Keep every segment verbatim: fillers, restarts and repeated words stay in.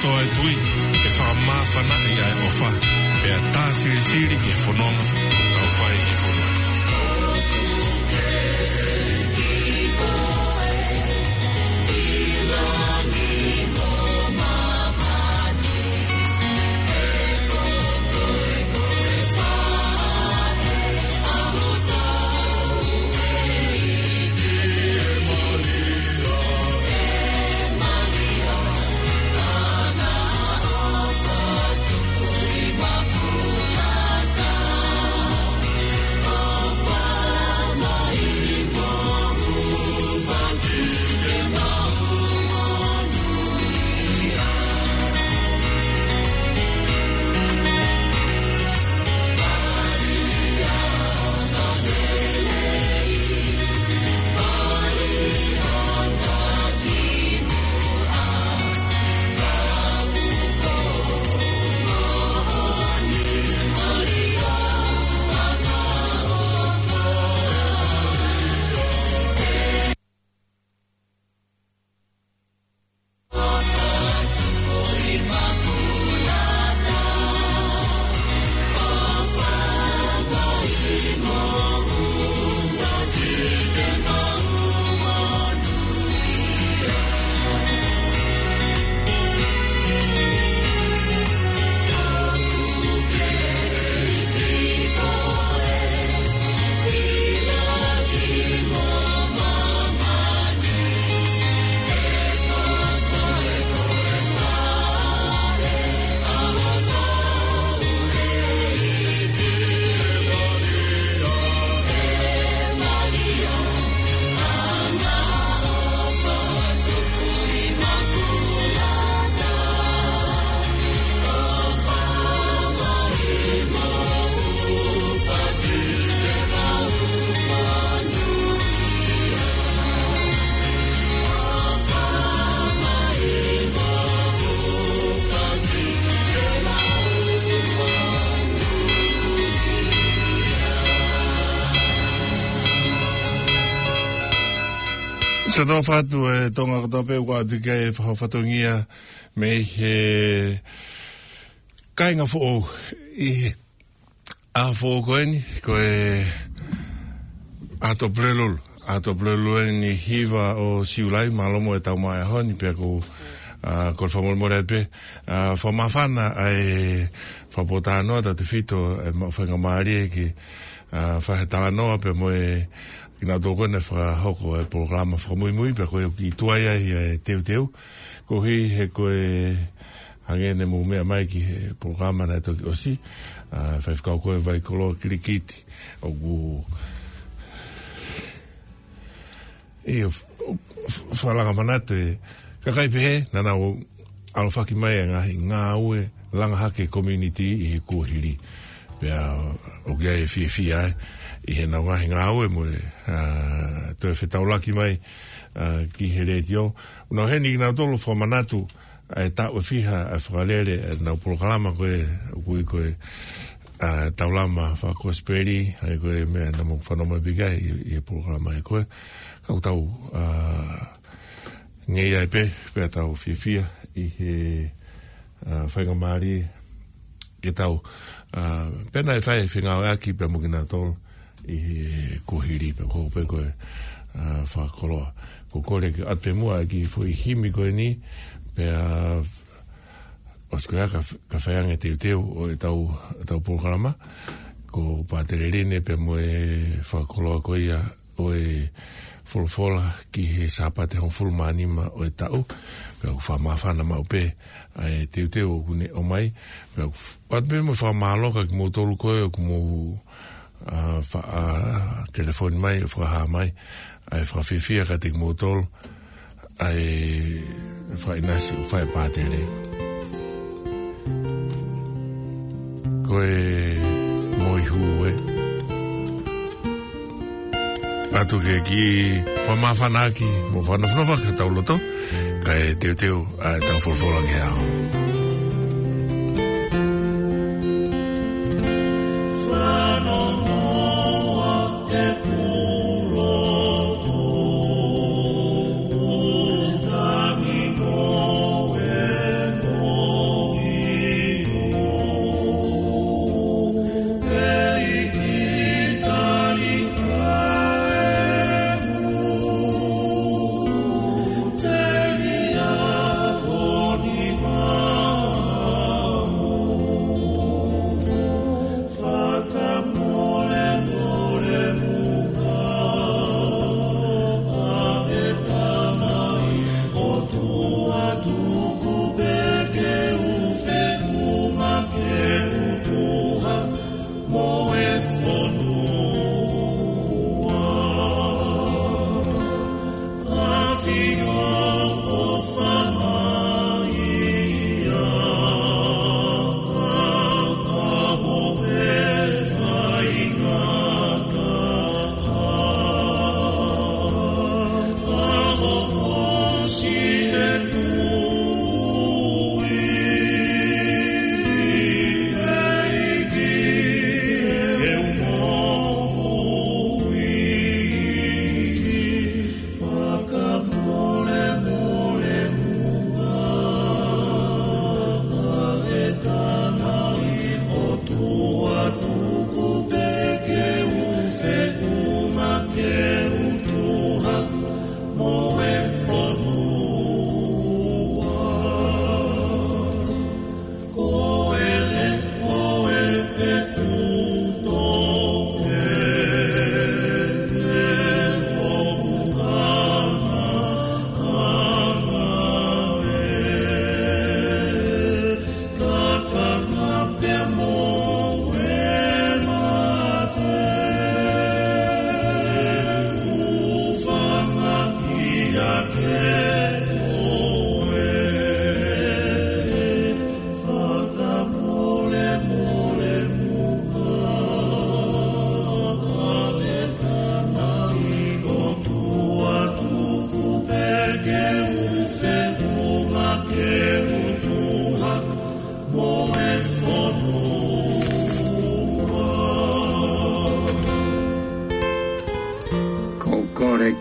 Toa e tui, ke fakamāfanaʻi ʻa e ʻofa, pea tā silisili ki he fononga ʻoku tau fai ʻi he fonua ni. Sa tau fatu e Tonga kotoa pē ʻoku ʻatu ki ai e fakafatongia mei he kāinga foʻou ʻi he ʻaho foʻou ko eni, ko e ʻaho Tuʻapulelulu. ʻAho Tuʻapulelulu eni hiva ʻo Siulai, mālō mo e tau mai ʻaho ni, pea ko, ʻa, ko e fakamolemole atu pē, ʻa, fakamāfana ʻa e fakapōtalanoa tautefito e maʻu faingamālie ke, ʻa, fai ha talanoa pea mo e kinautolu ko ē naʻe fakahoko e polokalama fakamuimui, pea ko e ʻoku tuai ai e teuteu. Koeʻuhi he ko e hangē ne mou meʻa mai ki he polokalama naʻe toki ʻosi, ʻa, faifekau ko ē Vaikoloa Kilikiti, ʻoku ʻio, f-, f-, fakalanga manatu e kakai pehē, naʻa nau ʻalofaki mai e ngaahi ngāue langa hake community ʻi he kuohili. Pea ʻoku ʻi ai e fiefia ai ʻi heʻenau ngaahi ngāue mo e, ʻa, toe fetaulaki mai, ʻa, ki he letiō. Nau heni kinautolu fakamanatu ʻa e taʻu ʻe fiha ʻa e fakalele ʻenau polokalama ko ē, ʻoku ui ko e, ʻa, Taulama Fakakosipeli, ʻa ia ko e meʻa naʻa mou fanongo mai pē ki ai ʻi, ʻi he polokalama ē ko ē. Ka ʻoku tau, ʻa, ngeia ai pē, pea tau fiefia ʻi he, ʻa, faingamālie ke tau, ʻa, pea naʻe fai fengāueʻaki pea mo kinautolu ʻi he kuohili pea ko ē pē ko e, ʻa, fakakoloa. Ko e kole ke ʻoatu pē muʻa e kiʻi foʻi himi ko eni, pea ʻosi ko ia ka, ka fai ange teuteu ʻo e tau, tau polokalama, ko Pātele Line pea mo e fakakoloa ko ia ʻo e folofola ki he Sāpate hongofulu mā nima ʻo e taʻu, pea ʻoku fakamāfana maʻu pē ʻa e teuteu ʻoku ne ʻomai, pea ʻoku ʻoatu pē mo e fakamālō kia kimoutolu ko ē ʻoku mou, ʻa, fa-, ʻa, telefoni mai, ʻo fakahā mai ʻa e fakafiefia kiate kimoutolu ʻa e fakaʻinasi ʻoku fai ʻe Pātele. Ko e moihū ē. ʻOatu ke kiʻi fakamāfanaʻaki mo fakanofonofo ki hotau loto, kae teuteu ʻa e tau folofola ki he ʻaho.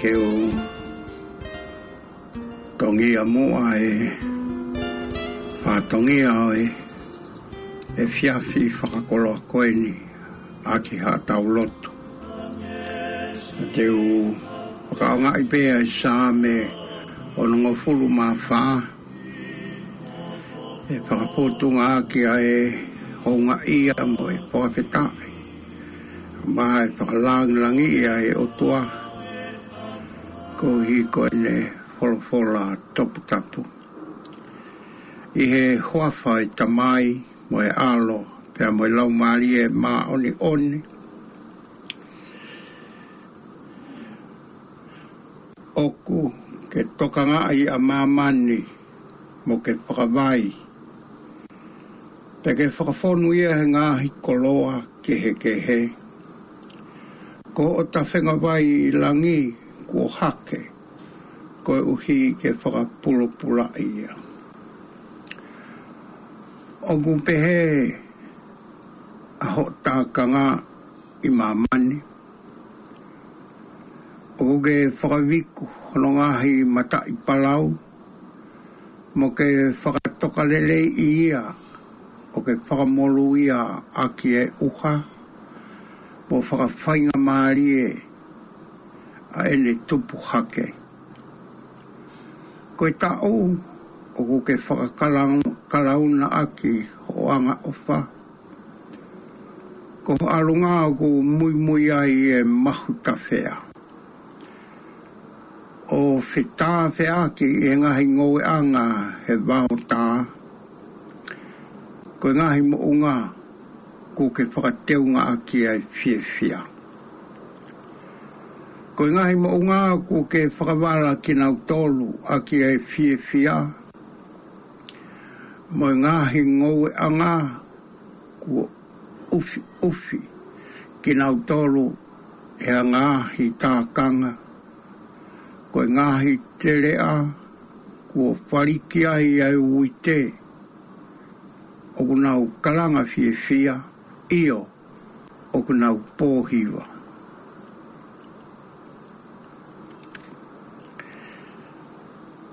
Ke u tongia muʻa e fatongia ʻo e efiafi fakakoloa ko eni ʻaki haʻatau lotu. Te u fakaʻaongaʻi pē ʻa e Saame onongofulu mā fā, ʻe fakafotunga ʻaki ʻa e houngaʻia mo e fakafetaʻi, mo e fakalāngilangiʻi ʻa e ʻOtua, koeʻuhi ko ʻene folofola toputapu. ʻI he huafa ʻo e Tamai mo e ʻAlo pea mo e Laumālie Māʻoniʻoni. ʻOku ke tokangaʻi ʻa māmani mo ke fakavai, pea ke fakafonu ia he ngaahi koloa kehekehe. Ko hoʻo tafengavai ʻi langi kuo hake, koeʻuhi ke fakapulopulaʻi ia. ʻOku pehē ʻa hoʻo tākanga ʻi māmani. ʻOku ke fakaviku hono ngaahi mataʻi palau, mo ke fakatokaleleiʻi ia, ʻo ke fakamolū ia ʻaki e ʻuha, mo fakafaingamālie ʻa ʻene tupu hake. Ko e taʻu ʻoku ke fakakalauna ʻaki hoʻo angaʻofa, ko ho ʻalunga ʻoku muimui ai e mahutafea. ʻO fetāfeaki ʻi he ngaahi ngoueʻanga he vaotā, ko e ngaahi moʻunga kuo ke fakateunga ʻaki ʻa e fiefia. Ko e ngaahi moʻunga kuo ke fakavala kinautolu ʻaki ʻa e fiefia, mo e ngaahi ngoueʻanga kuo ʻufiʻufi kinautolu ʻe he ngaahi tākanga. Ko e ngaahi teleʻa kuo faliki ai ʻa e uite, ʻoku nau kalanga fiefia, ʻio, ʻoku nau pōhiva.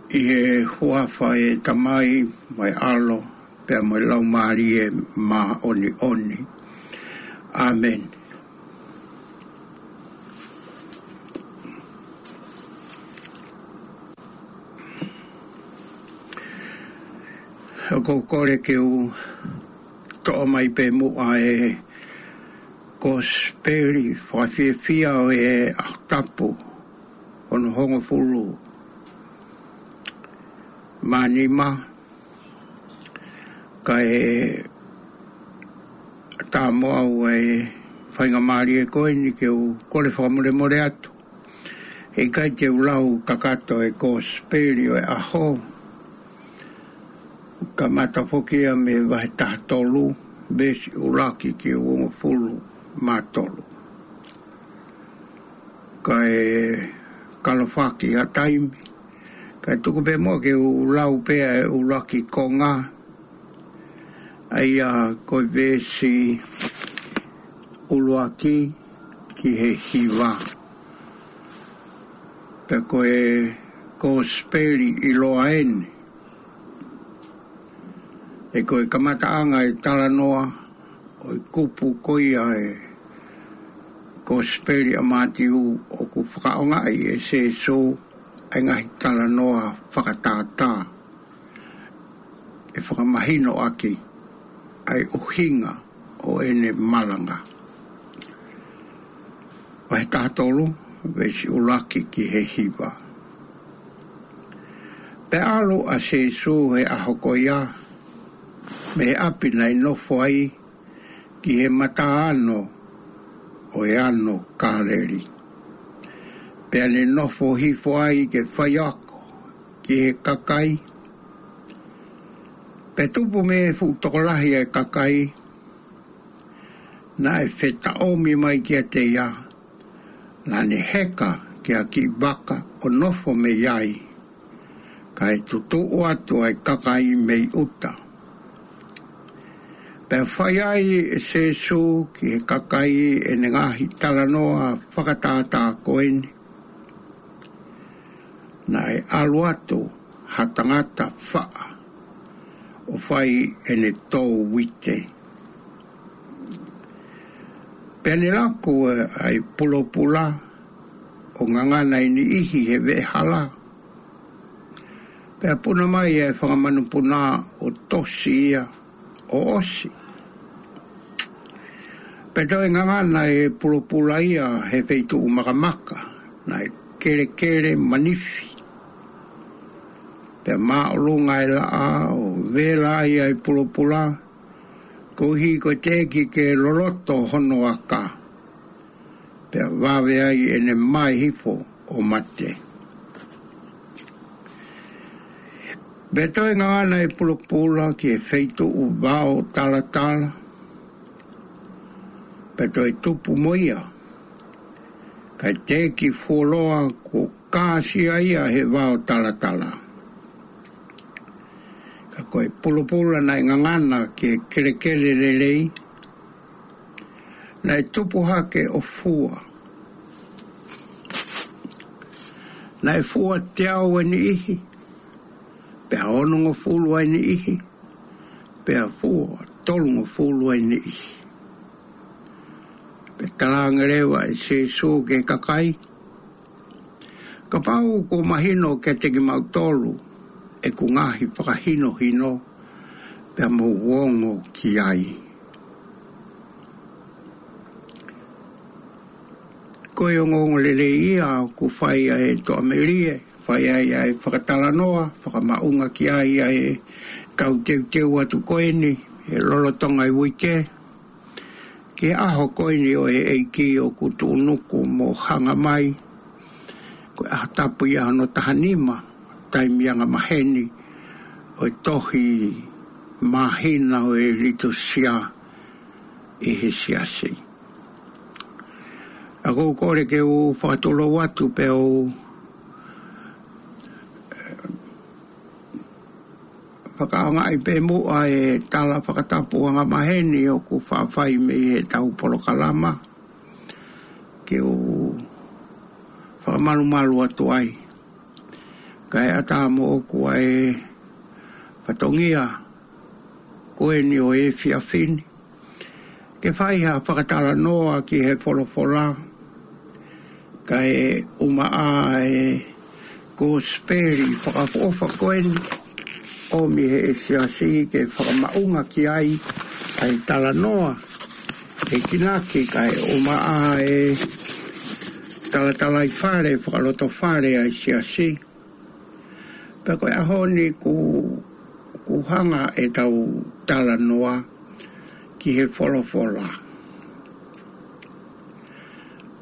ʻI he huafa ʻo e Tamai mo e ʻAlo pea mo e Laumālie Māʻoniʻoni. ʻĀmeni. ʻOku ou kole ke u toʻo mai pē muʻa e Kosipeli fakafiefia ʻo e ʻaho tapu hono hongofulu mā nima, kae ʻatā mo au e faingamālie ko eni ke u kole fakamolemole atu. He ʻikai te u lau kakato e Kosipeli ʻo e ʻaho. Kamata foki ia mei he vahe taha tolu, veesi ʻuluaki ki he uongofulu mā tolu. Kae kalofaki ʻa e taimi, kae tuku pē muʻa ke u lau pē ʻa e ʻuluaki konga, ʻa ia ko e veesi ʻuluaki ki he hiva. Pea ko e Kosipeli ʻiloa eni. He ko e kamataʻanga e talanoa ʻo e kupu ko ia e Kosipeli ʻa Mātiu, ʻoku fakaʻaongaʻi ʻe Sīsū ʻa e ngaahi talanoa fakatātā, ʻe fakamahino ʻaki ʻa e ʻuhinga ʻo ʻene malanga. Vahe taha tolu, veesi ʻuluaki ki he hiva. Pea ʻalu ʻa Sīsū he ʻaho ko ia mei he ʻapi naʻe nofo ai ki he mataʻano ʻo e ano Kāleli. Pea ne nofo hifo ai ke faiako ki he kakai. Pea tupu mei he fuʻu tokolahi ʻa e kakai naʻe fetaʻomi mai kiate ia, naʻa ne heka ki ha kiʻi vaka ʻo nofo mei ai, kae tutuʻu atu ʻa e kakai mei ʻuta. Pea fai ai ʻe Sīsū ki he kakai ʻene ngaahi talanoa fakatātā ko eni. naʻe ʻalu atu ha tangata faʻa ʻo fai ʻene tō uite. Pea ne laku ʻa e pulopula ʻo ngangana e niʻihi he veʻehala. Pea puna mai ʻa e fanga manupuna ʻo tosi ia ʻo ʻosi. Pea toe ngangana e pulopula ia he feituʻu makamaka, naʻe kelekele manifi. Pea māʻolunga e laʻā ʻo vela ai ʻa e pulopula, koeʻuhi ko e teʻeki ke loloto hono aka. Pea vave ai ʻene mae hifo ʻo mate. Pea toe ngangana e pulopula ki he feituʻu vao talatala. Pea toe tupu mo ia, kae teʻeki fuoloa kuo kāsia ia he vao talatala. Ka ko e pulopula naʻe ngangana ki he kelekele lelei, naʻe tupu hake ʻo fua. Naʻe fua teau e niʻihi, pea onongofulu e niʻihi, pea fua tolungofulu e niʻihi. Pea talaange leva ʻe Sīsū ki he kakai, kapau kuo mahino kiate kimautolu ʻeku ngaahi fakahinohino, pea mou ongo ki ai. Ko e ongoongolelei ia ʻoku fai ai e toʻamelie, fai ai ʻa e fakatalanoa, fakamaʻunga ki ai ʻa e tau teuteu atu ko eni, he lolotonga e uike, ki he ʻaho ko eni ʻo e ʻEiki ʻoku tuʻunuku mo hanga mai, ko e ʻaho tapu ia hono taha nima, taimi anga maheni, ʻo e tohi māhina ʻo e Litūsia ʻi he Siasi. ʻOku ou kole ke u fakatulou atu pea u fakaʻaongaʻi pē muʻa e tala fakatapu anga maheni ʻoku faʻa fai mei he tau polokalama, ke u fakamalumalu atu ai. Kae ʻatā moʻoku ʻa e fatongia ko eni ʻo e efiafi ni, ke fai ha fakatalanoa ki he folofola, kae ʻumaʻā e kosipeli fakaʻofoʻofa ko eni, ʻomi ʻe he Siasi ke fakamaʻunga ki ai ʻa e talanoa, ʻe kinaki kae ʻumaʻā e talatalaifale, fakalotofale ʻa e Siasi. Pea ko e ʻaho ni ʻoku, ʻoku hanga e tau talanoa ki he folofola.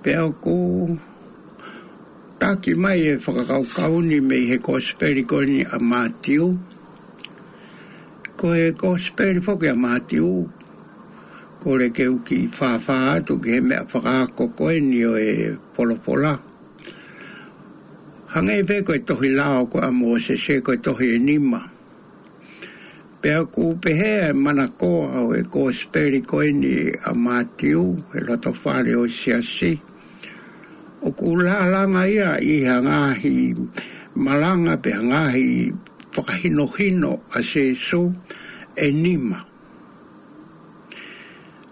Pea ʻoku taki mai e fakakaukau ni mei he kosipeli ko eni ʻa Mātiu. Ko e kosipeli foki ʻa Mātiu, kole ke u kiʻi fāfā atu ki he meʻa fakaako ko eni ʻo e folofola. Hangē pē ko e tohi lao ko ia ʻa Mōsese, ko e tohi ʻe nima. Pea ʻoku pehē ʻa e manakoa ʻo e kosipeli ko eni ʻa Mātiu, he lotofale ʻo e Siasi, ʻoku lālanga ia ʻi ha ngaahi malanga pe ha ngaahi fakahinohino ʻa Sīsū ʻe nima.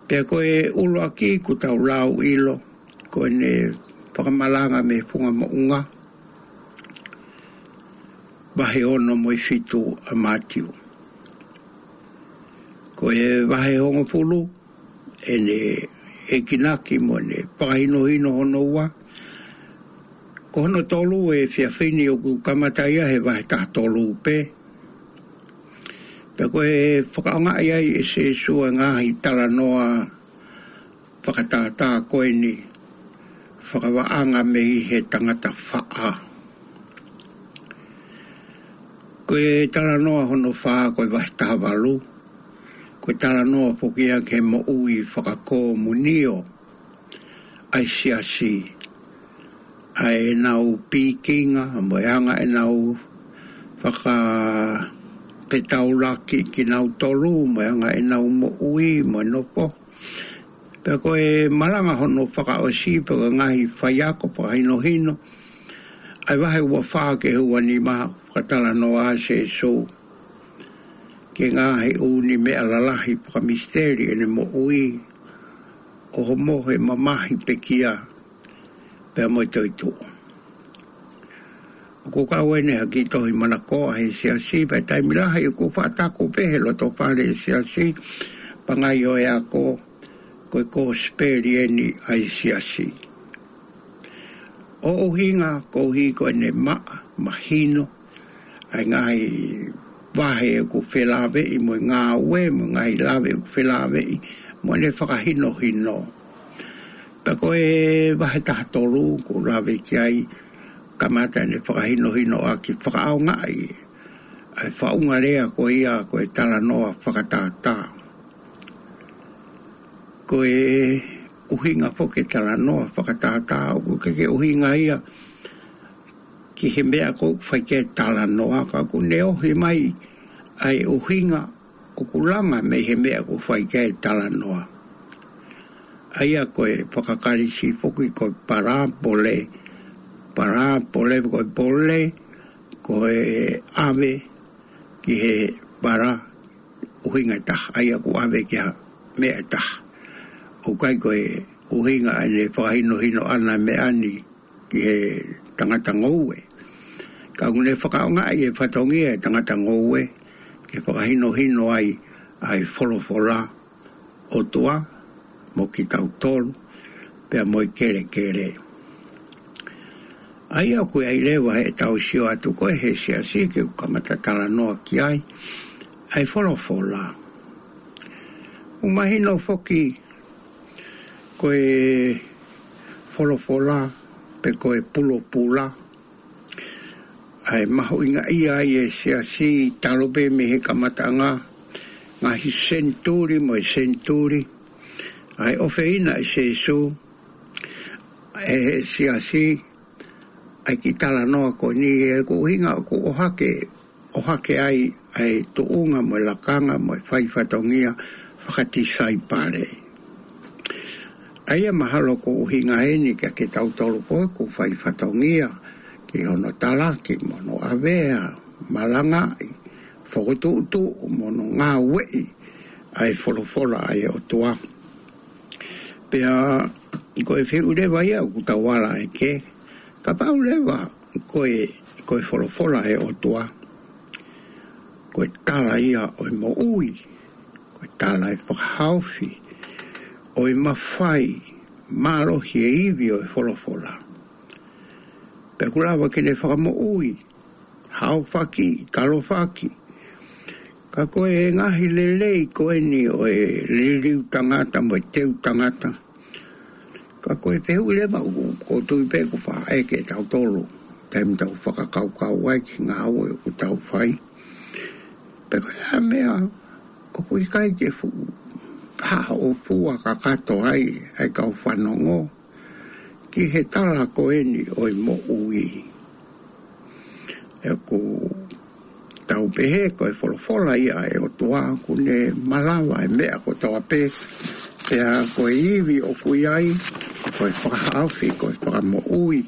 Pea ko e ʻuluaki ʻoku tau lau ʻilo, ko ʻene fakamalanga mei he funga moʻunga, vahe ono mo e fitu ʻa Mātiu. Ko e vahe hongofulu, ʻene ekinaki mo ʻene fakahinohino hono ua. Ko hono tolu e efiafi ni ʻoku kamata ia he vahe taha tolu pē. Pea ko e fakaʻaongaʻi ai ʻe Sīsū e ngaahi talanoa fakatātā ko eni, fakavaʻanga mei he tangata faʻa. Ko e talanoa hono fā ko e vahe taha valu, ko e talanoa foki ia ki he moʻui fakakomunio ʻa e Siasi, ʻa ʻenau pikinga, mo e anga ʻenau fakapetaulaki kinautolu, mo e anga ʻenau moʻui, mo e nofo. Pea ko e malanga hono fakaʻosi, pea ko e ngaahi faiako fakahinohino ʻa e vahe ua fā ki he ua nima, fakatalanoa ʻa Sīsū ki he ngaahi ʻū meʻa lalahi fakamisiteli ʻene moʻui, ʻo homo he mamahi, pekia, pea mo e toetuʻu. ʻOku kau eni ha kiʻi tohi manakoa he siasi, pea taimi lahi ʻoku faʻa taku pē he loto fale e siasi, pangai ʻo e ako, ko e kosipeli eni ʻa e siasi. ʻO ʻuhinga koeʻuhi ko ʻene maʻa, mahino ʻa e ngaahi vahe ʻoku felāveʻi mo e ngāue, mo e ngaahi lave ʻoku felāveʻi mo ʻene fakahinohino. Pea ko e vahe taha tolu ʻoku lave ki ai, kamata ʻene fakahinohino ʻaki, fakaʻaongaʻi ʻa e faʻunga lea ko ia ko e talanoa fakatātā. Ko e ʻuhinga foki e talanoa fakatātā, ʻoku ʻikai ke ʻuhinga ia ki he meʻa ʻoku fai ki ai e talanoa, ka ʻoku ne ʻohi mai ʻa e ʻuhinga ʻoku langa mei he meʻa ʻoku fai ki ai e talanoa. ʻA ia ko e fakaKalisi foki ko e palāpole, palāpole ko e pole, ko e ʻave ki he pala, ʻuhinga ʻe taha, ʻa ia ʻoku ʻave ki ha meʻa ʻe taha. ʻOku ʻikai ko e ʻuhinga ʻene fakahinohino ʻana e meʻa ni ki he tangata ngoue. Ka ʻoku ne fakaʻaongaʻi e fatongia e tangata ngoue ke fakahinohino ai ʻa e folofola ʻOtua mo kitautolu, pea mo e kelekele. ʻA ia ʻoku ʻi ai leva heʻetau sio atu ko ē he siasi ke u kamata talanoa ki ai, ʻa e folofola. ʻOku mahino foki ko e folofola pe ko e pulopula, ʻa e mahuʻingaʻia ai e siasi talu pē mei he kamataʻanga, ngaahi senituli mo e senituli, ʻa e ʻofeina ʻe Sīsū ʻe he siasi ʻa e kiʻi talanoa ko eni, ʻoku ʻuhinga ʻoku ʻohake, ʻohake ai ʻa e tuʻunga mo e lakanga mo e fai fatongia fakatisaipale. ʻA ia mahalo ʻoku ʻuhinga eni kiate kitautolu ko ē ʻoku fai fatongia ki hono talaki mo hono ʻavea, malangaʻi, fokotuʻutuʻu mo hono ngāueʻi ʻa e folofola ʻa e ʻOtua. Pea ko e fehuʻi leva ia ʻoku tau ala ai ki ai, kapau leva ko e, ko e folofola ʻa e ʻOtua ko e tala ia ʻo e moʻui, ko e tala ʻo e fakahaofi, ʻo e mafai, mālohi e ivi ʻo e folofola, pea ʻoku lava ke ne fakamoʻui, haofaki, talofaki. Ka ko e ngaahi lelei ko eni ʻo e liliu tangata mo e teu tangata, ka ko e fehuʻi leva ʻoku, ʻoku ou tui pē ʻoku faʻa ʻeke ʻe tautolu taimi ʻoku tau fakakaukau ai ki he ngāue ʻoku tau fai, pe ko e hā e meʻa ʻoku ʻikai ke fuʻu haʻofua kakato ai ʻa e kau fanongo ki he tala ko eni ʻo e moʻui. ʻOku tau pehē ko e folofola ia ʻa e ʻOtua ʻoku ne malava e meʻa kotoa pē, pea ko e ivi ʻoku ʻi ai, ko e fakahaofi, ko e fakamoʻui.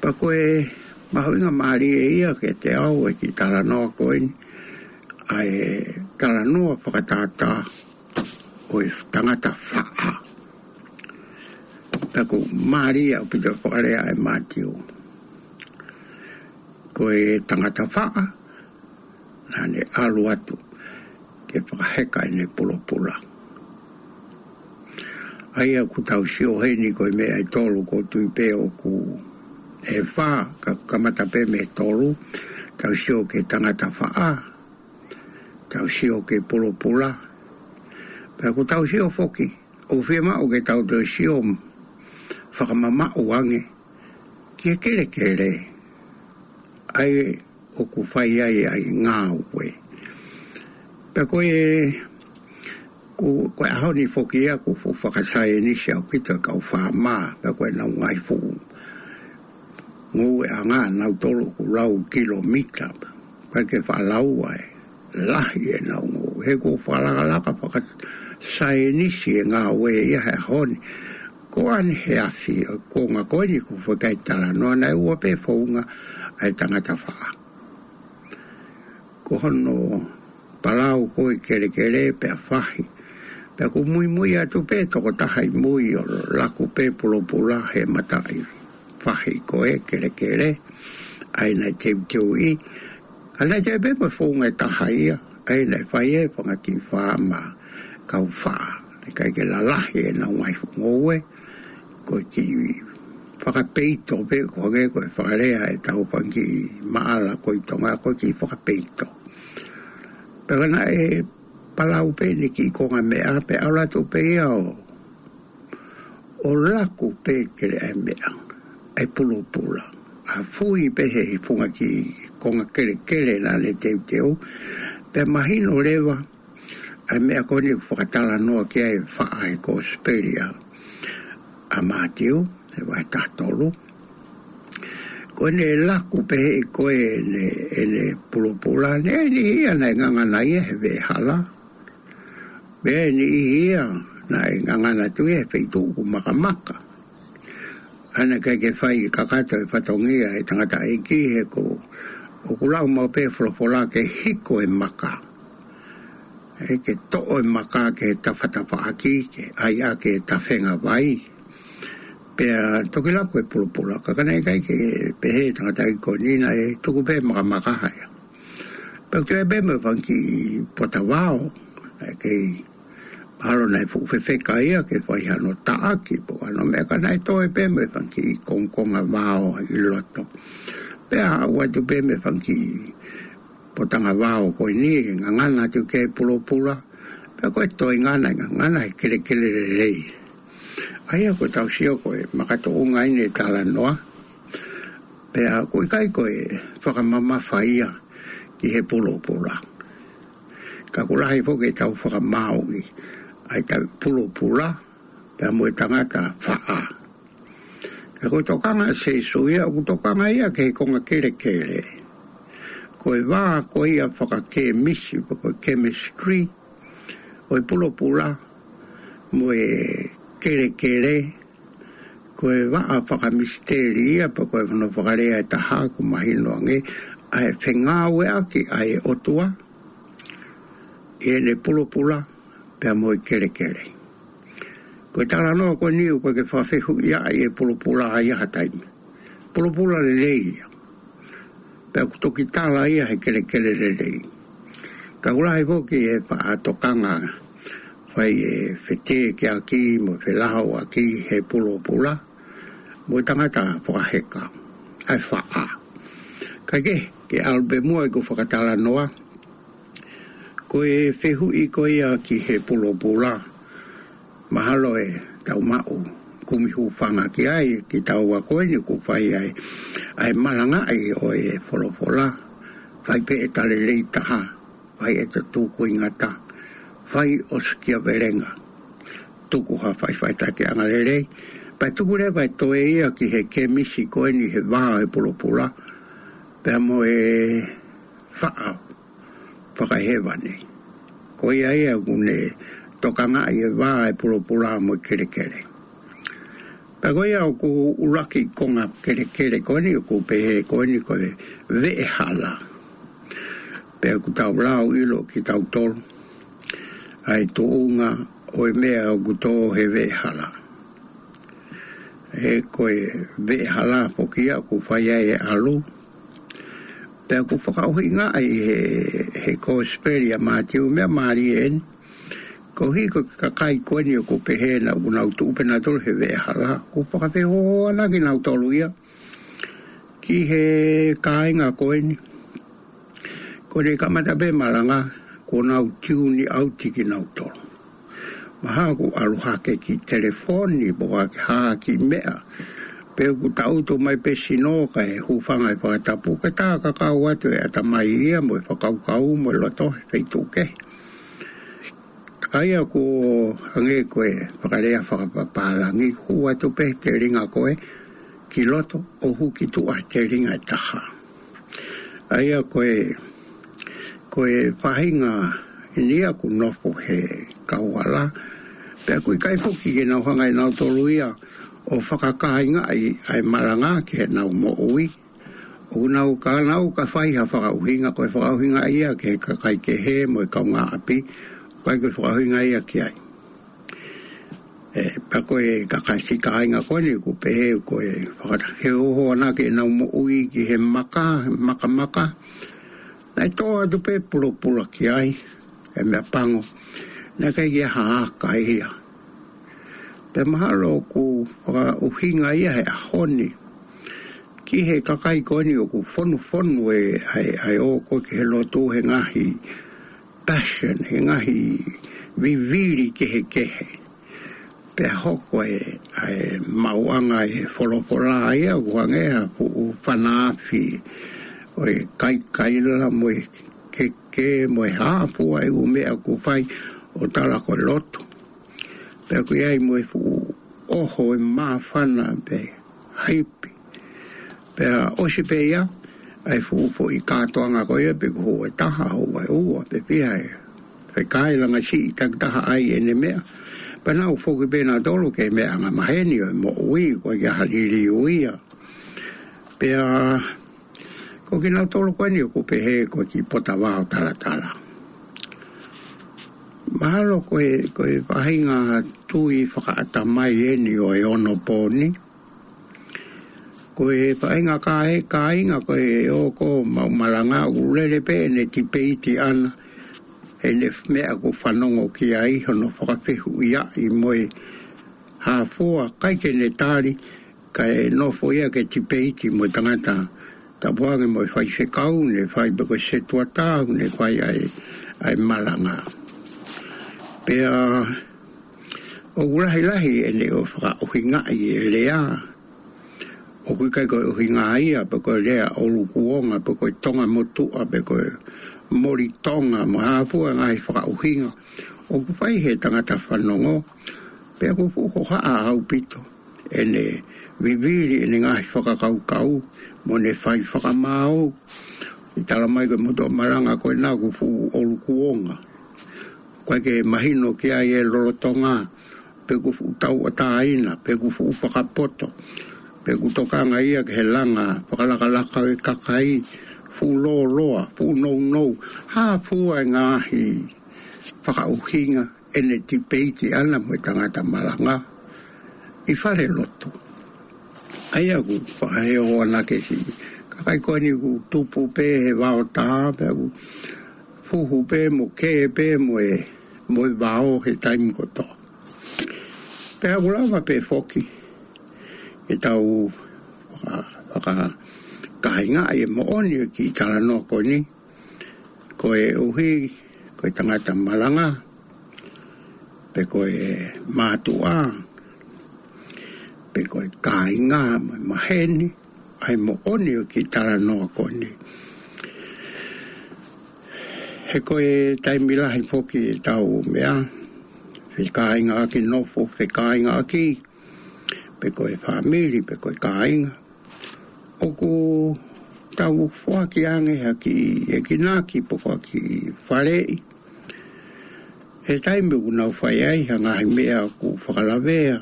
Pea ko e mahuʻinga mālie ia kiate au e kiʻi talanoa ko eni, ʻa e talanoa fakatātā ʻo e tangata faʻa. Pea ʻoku mālie ʻaupito e fakalea ʻa e Mātiu. Ko e tangata faʻa naʻa ne ʻalu atu ke fakaheka ʻene pulopula. ʻA ia ʻoku tau sio heni ko e meʻa ʻe tolu, ʻoku ou tui pē ʻoku ʻe fā, ka kamata pē mei he tolu, tau sio ki he tangata faʻa, tau sio ki he pulopula, pea ʻoku tau sio foki, ʻoku fiemaʻu ke tau toe sio fakamamaʻu ange ki he kelekele, ʻa ia ʻoku fai ai ʻa e ngāue. Pea ko e, ko, ko e ʻaho ni foki ia ʻoku fuʻu fakasaienisi ʻaupito e kau faama, pea ko ʻenau ngaahi fuʻu ngoueʻanga nautolu ʻoku lau kilomita, ʻikai ke faʻa lau ʻa e lahi ʻenau ngoue. He ʻoku fakalakalaka fakasaienisi e ngāue ia he ʻaho ni. Ko ʻAneheafi, ʻo e konga ko eni ʻoku fai ki ai e talanoa, naʻe ua pē founga ʻa e tangata faʻa. Ko hono palau ko ē kelekele pea fahi. Pea ʻoku muimui atu pē tokotaha ʻi mui ʻo laku pē pulopula he mataʻi fahi ko ē kelekele, ʻa ia naʻe teuteuʻi. Ka naʻe toe pē mo e founga ʻe taha ia, ʻa ia naʻe fai ʻe he fanga kiʻi faama kau faʻa. Naʻe ʻikai ke lalahi ʻenau ngaahi ngoue, ko e kiʻi fakapeito pē, ko e hangē ko e fakalea ʻetau fanga kiʻi maʻala ko ē ʻi Tonga, ko e kiʻi fakapeito. Pea ka naʻe palau pē ʻene kiʻi konga meʻa, pea ʻalu atu pē ia ʻo, ʻo laku pē kele ʻa e meʻa, ʻa e pulopula. ʻA fui pē he funga kiʻi konga kelekele naʻa ne teuteu, pea mahino leva ʻa e meʻa ko eni ʻoku fakatalanoa ki ai e faʻa he Kosipeli ʻa Mātiu, he vahe taha tolu. Ko ʻene laku pē he ko ē ʻene, ʻene pulopula, naʻe ʻi ai e niʻihi ia naʻe ngangana ia he veʻehala. Pea ʻi ai e niʻihi ia naʻe ngangana atu ia he feituʻu ʻoku makamaka. ʻA ia naʻe ʻikai ke fai kakato e fatongia ʻa e tangataʻeiki he ko, ʻoku lau maʻu pē folofola ke hiko e maka. ʻE ke toʻo e maka ke tafatafaʻaki, ke ʻai ʻaki e tafenga vai. Pea toki laku e pulopula, ka ka naʻe ʻikai ke pehē ʻe he tangataʻeiki ko eni, naʻe tuku pē makamaka ia. Pea ʻoku toe pē mo e fanga kiʻi potavao, naʻe kei ʻalu naʻe fuʻu fefeka ia ke fai hano taʻaki, pe ko hano meʻa, ka naʻe toe pē mo e fanga kiʻi kongokonga vao ʻi loto. Pea aʻu atu pē mo e fanga kiʻi potanga vao ko eni, ngangana atu ki he pulopula, pea ko e toenga naʻe ngangana he kelekele lelei. ʻA ia ʻoku tau sio ko e makatuʻunga ʻeni e talanoa, pea ʻoku ʻikai ko e fakamamafa ia ki he pulopula. Ka ʻoku lahi foki ʻetau fakamaauʻi ʻa ʻetau pulopula, pea mo e tangata faʻa. Ka ko e tokanga ʻa Sīsū ia, ʻoku tokanga ia ki he konga kelekele. Ko e vā ko ia fakakēmisi, pe ko e chemistry, ʻo e pulopula mo e kelekele, ko e vaʻa fakamisiteli ia, pe ko hono fakalea ʻe taha ʻoku mahino ange, ʻa e fengāueʻaki ʻa e ʻOtua ʻi heʻene pulopula pea mo e kelekele. Ko e talanoa ko eni ʻoku ʻikai ke fakafehuʻia ai e pulopula ʻi ha taimi. Pulopula lelei ia. Pea ʻoku toki tala ia he kelekele lelei. Ka ʻoku lahi foki e faʻa tokanga fai e fetekeʻaki mo e felahauʻaki he pulopula mo e tangata fakaheka, ʻa e faʻa. Kae kehe, ke ʻalu pē muʻa ʻeku fakatalanoa, ko e fehuʻi ko ia ki he pulopula, mahalo ʻe tau maʻu kumi hūfanga ki ai, kitaua ko eni ʻoku fai ai ʻa e malangaʻi ʻo e folofola, fai pē ʻeta lelei taha, fai ʻeta tūkuingata, fai ʻo sikia velenga, tuku ha faʻifaʻitakiʻanga lelei, pea tuku leva e toe ia ki he kēmisi ko eni he vā ʻo e pulopula, pea mo e faʻa fakahēvani. Ko ia ia ʻoku ne tokangaʻi e vā ʻo e pulopula mo e kelekele. Pea ko ia ʻoku ʻuluaki konga kelekele ko eni ʻoku pehē ko eni ko e veʻehala. Pea ʻoku tau lau ʻilo kitautolu ʻa e tuʻunga ʻo e meʻa ʻoku tō he veʻehala. He ko e veʻehala foki ia ʻoku fai ai e ʻalu. Pea ʻoku fakaʻuhingaʻi he, he Kosipeli ʻa Mātiu, meʻa mālie eni. Koeʻuhi ko e kakai ko eni ʻoku pehē naʻa nau tuʻu pē nautolu he veʻehala, ʻoku fakafehoanaki nautolu ia ki he kāinga ko eni. Ko ʻene kamata pē malanga, kuo nau tiuni ʻauti kinautolu. Mahalo kuo ʻalu hake ki telefoni, pe ko ha kiʻi meʻa. Pe ʻoku tangutu mai pē sino kae hūfanga he fakatapu, kae tā kakau atu e ʻatamai ia mo e fakakaukau mo e loto he feituʻu kehe. ʻA ia ʻoku hangē ko e fakalea fakapapālangi, hū atu pē he telinga ko ē ki loto ʻo hū ki tuʻa he telinga ʻe taha. ʻA ia ko e, ko e faʻahinga eni ia ʻoku nofo he kauala, Pea ʻoku ʻikai foki ke nau hanga ʻe nautolu ia ʻo fakakāingaʻi ʻa e malanga ki heʻenau moʻui. ʻOku nau ka nau ka fai ha fakaʻuhinga, ko e fakaʻuhinga ia ki he kakai kehe mo e kaungāʻapi, ʻikai ko e fakaʻuhinga ia ki ai. ʻE, pea ko e kakai siʻi kāinga ko eni ʻoku pehē ko e fakata-, he ʻoho ʻana ki heʻenau moʻui ki he maka, makamaka. Naʻe tō atu pē pulopula ki ai, e meʻa pango. Naʻe ʻikai ke ʻi ai ha aka ia. Pea mahalo ʻoku fakaʻuhinga ia he ʻaho ni ki he kakai ko eni ʻoku fonufonu e, ʻa e, ʻa e ō ko ē ki he lotu he ngaahi passion, he ngaahi vivili kehekehe. Pea hoko e, ʻa e maʻuʻanga e folofola ia ʻoku hangē ha fuʻu fana afi ʻo e kaikaila mo e keke mo e hā fua e ʻū meʻa ʻoku fai ʻo tala ko e lotu. Pea ʻoku ʻi ai mo e fuʻu ʻoho e māfana pe haipi. Pea ʻosi pē ia, ʻa e fuʻu foʻi kātoanga ko ia pe ʻoku hū e taha, hū e ua, pe fiha e fekau langa siʻi takitaha ʻai ʻene meʻa. Pea nau foki pē nautolu ki he meʻa angamaheni ʻo e moʻui, ʻoku ʻikai ha liliu ia. Pea ko kinautolu ko eni ʻoku pehē ko e kiʻi potavaʻa ʻo talatala. Mahalo ko e, ko e faʻahinga tui fakaʻatamai eni ʻo e onopōni. Ko e faʻahinga kāinga ko e ō ko ē maʻu malanga ʻoku lele pē ʻene tipeiti ʻana, ʻene meʻa ʻoku fanongo ki ai, hono fakafehuʻiaʻi mo e hā fua, ʻikai ke ne tali, kae nofo ia ke tipeiti mo e tangata tapu ange mo e faifekau, ne fai pe ko e setuata, ne fai ʻa e, ʻa e malanga. Pea ʻoku lahilahi ʻene ō fakaʻuhingaʻi e lea. ʻOku ʻikai ko e ʻuhinga ia, pe ko e lea ʻo Lukuonga, pe ko e Tonga motuʻa, pe ko e Moli Tonga, mo e hā fua e ngaahi fakaʻuhinga ʻoku fai he tangata fanongo, pea ʻoku fuʻu hohaʻa ʻaupito ʻene vivili ʻene ngaahi fakakaukau mo ʻene fai fakamaau. ʻI tala mai ko e motuʻa malanga ko ena ʻoku fuʻu ʻo Lukuonga. ʻOku ʻikai ke mahino ki ai e lolotonga, pe ʻoku fuʻu tauʻatāina, pe ʻoku fuʻu fakapoto, pe ʻoku tokanga ia ki he langa fakalakalaka e kakai, fuʻu lōloa, fuʻu nounou, hā fua e ngaahi fakaʻuhinga ʻene tipeiti ʻana mo e tangata malanga ʻi fale lotu. ʻA ia ʻoku fakaheoanakesi. Kakai ko eni ʻoku tupu pē he vao taha, pea ʻoku fuhu pē mo kē pē mo e, mo e vao he taimi kotoa. Pea ʻoku lava pē foki ke tau faka-, fakakāingaʻi e moʻoni e kiʻi talanoa ko eni, koeʻuhi ko e tangata malanga, pe ko e mātuʻa, pe ko e kāinga mo e maheni, ʻa e moʻoni ʻo e kiʻi talanoa ko eni. He ko e taimi lahi foki ʻetau meʻa, fekāingaʻaki, nofo fekāingaʻaki, pe ko e fāmili, pe ko e kāinga. ʻOku tau foaki ange ha kiʻi ekinaki pe ko ha kiʻi faleʻi. He taimi ʻoku nau fai ai ha ngaahi meʻa ʻoku fakalavea,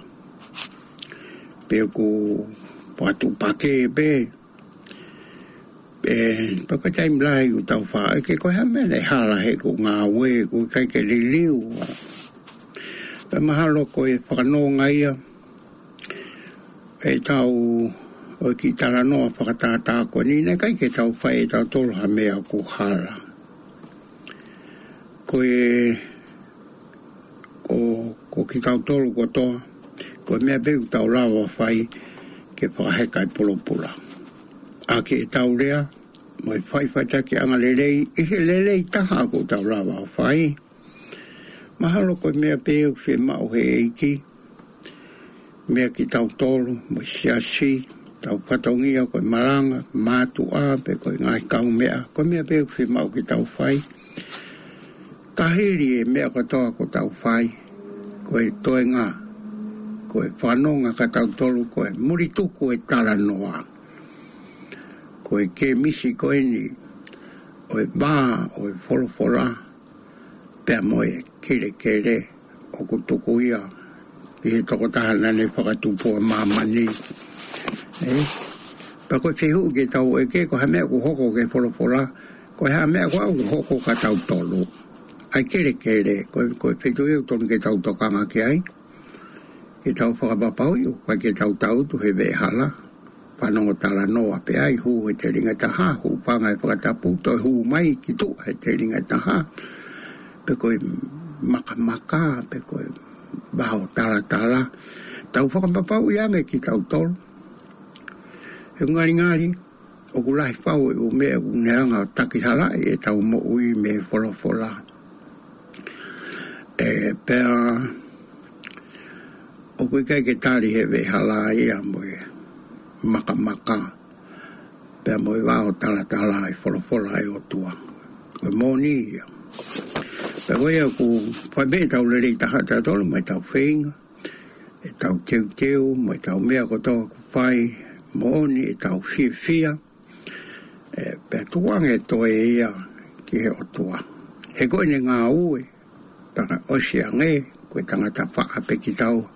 pe ʻoku patupake pē. ʻE, pea ko e taimi lahi ʻoku tau fai, ʻe, ke ko e hā e meʻa naʻe hala he ʻeku ngāue, ʻoku ʻikai ke liliu. Pea mahalo ko e fakanonga ia ʻetau ʻo e kiʻi talanoa fakatātā ko eni, naʻe ʻikai ke tau fai ʻe tautolu ha meʻa ʻoku hala. Ko e, ko, ko kitautolu kotoa, ko e meʻa pē ʻoku tau lava fai ke fakaheka e pulopula. ʻAki ʻetau lea, mo e faʻifaʻitakiʻanga lelei, ʻi he lelei taha ʻoku tau lava fai. Mahalo ko e meʻa pē ʻoku fiemaʻu he ʻEiki, meia kitautolu, mo e siasi, tau fatongia ko e malanga, mātuʻa, pe ko e ngaahi kaumeʻa, ko e meʻa pē ʻoku fiemaʻu ke tau fai. Ka hili e meʻa kotoa ʻoku tau fai, ko e toenga, ko e fanonga kia tautolu, ko e mulituku e talanoa. Ko e kemisi ko eni, ʻo e vā, ʻo e folofola, pea mo e kelekele, ʻoku tuku ia ki he tokotaha naʻa ne fakatupu ʻa māmani. Ē? Pea ko e fehuʻi ke tau ʻeke, ko e hā e meʻa ʻoku hoko ki he folofola, ko e hā e meʻa ko ē ʻoku hoko kia tautolu. ʻA e kelekele, ko, ko e feituʻu ia ʻoku totonu ke tau tokanga ki ai. Ke tau fakapapauʻi ʻoku ʻikai ke tau tangutu he veʻehala. Fanongo talanoa pē ai, hū he telinga ʻe taha, hūfanga he fakatapu, toe hū mai ki tuʻa he telinga ʻe taha. Pe ko e makamaka, pe ko e vao talatala. Tau fakapapauʻi ange kitautolu. He ngalingali, ʻoku lahi fau e ʻū meʻa ʻoku ne hanga ʻo takihalaʻi ʻetau moʻui mei he folofola. Ē, pea ʻoku ʻikai ke tali he veʻehala ia mo e makamaka, pea mo e vao talatala ʻa e folofola ʻa e ʻOtua. Ko e moʻoni ia. Pea ko ia ʻoku fai pē ʻetau lelei taha tautolu, mo ʻetau feinga, ʻetau teuteu, mo ʻetau meʻa kotoa ʻoku fai, moʻoni ʻetau fiefia, ē, pea tuku ange ʻe toe ia ki he ʻOtua. He ko ʻene ngāue, pea ka ʻosi ange, ko e tangata faʻa pē kitaua.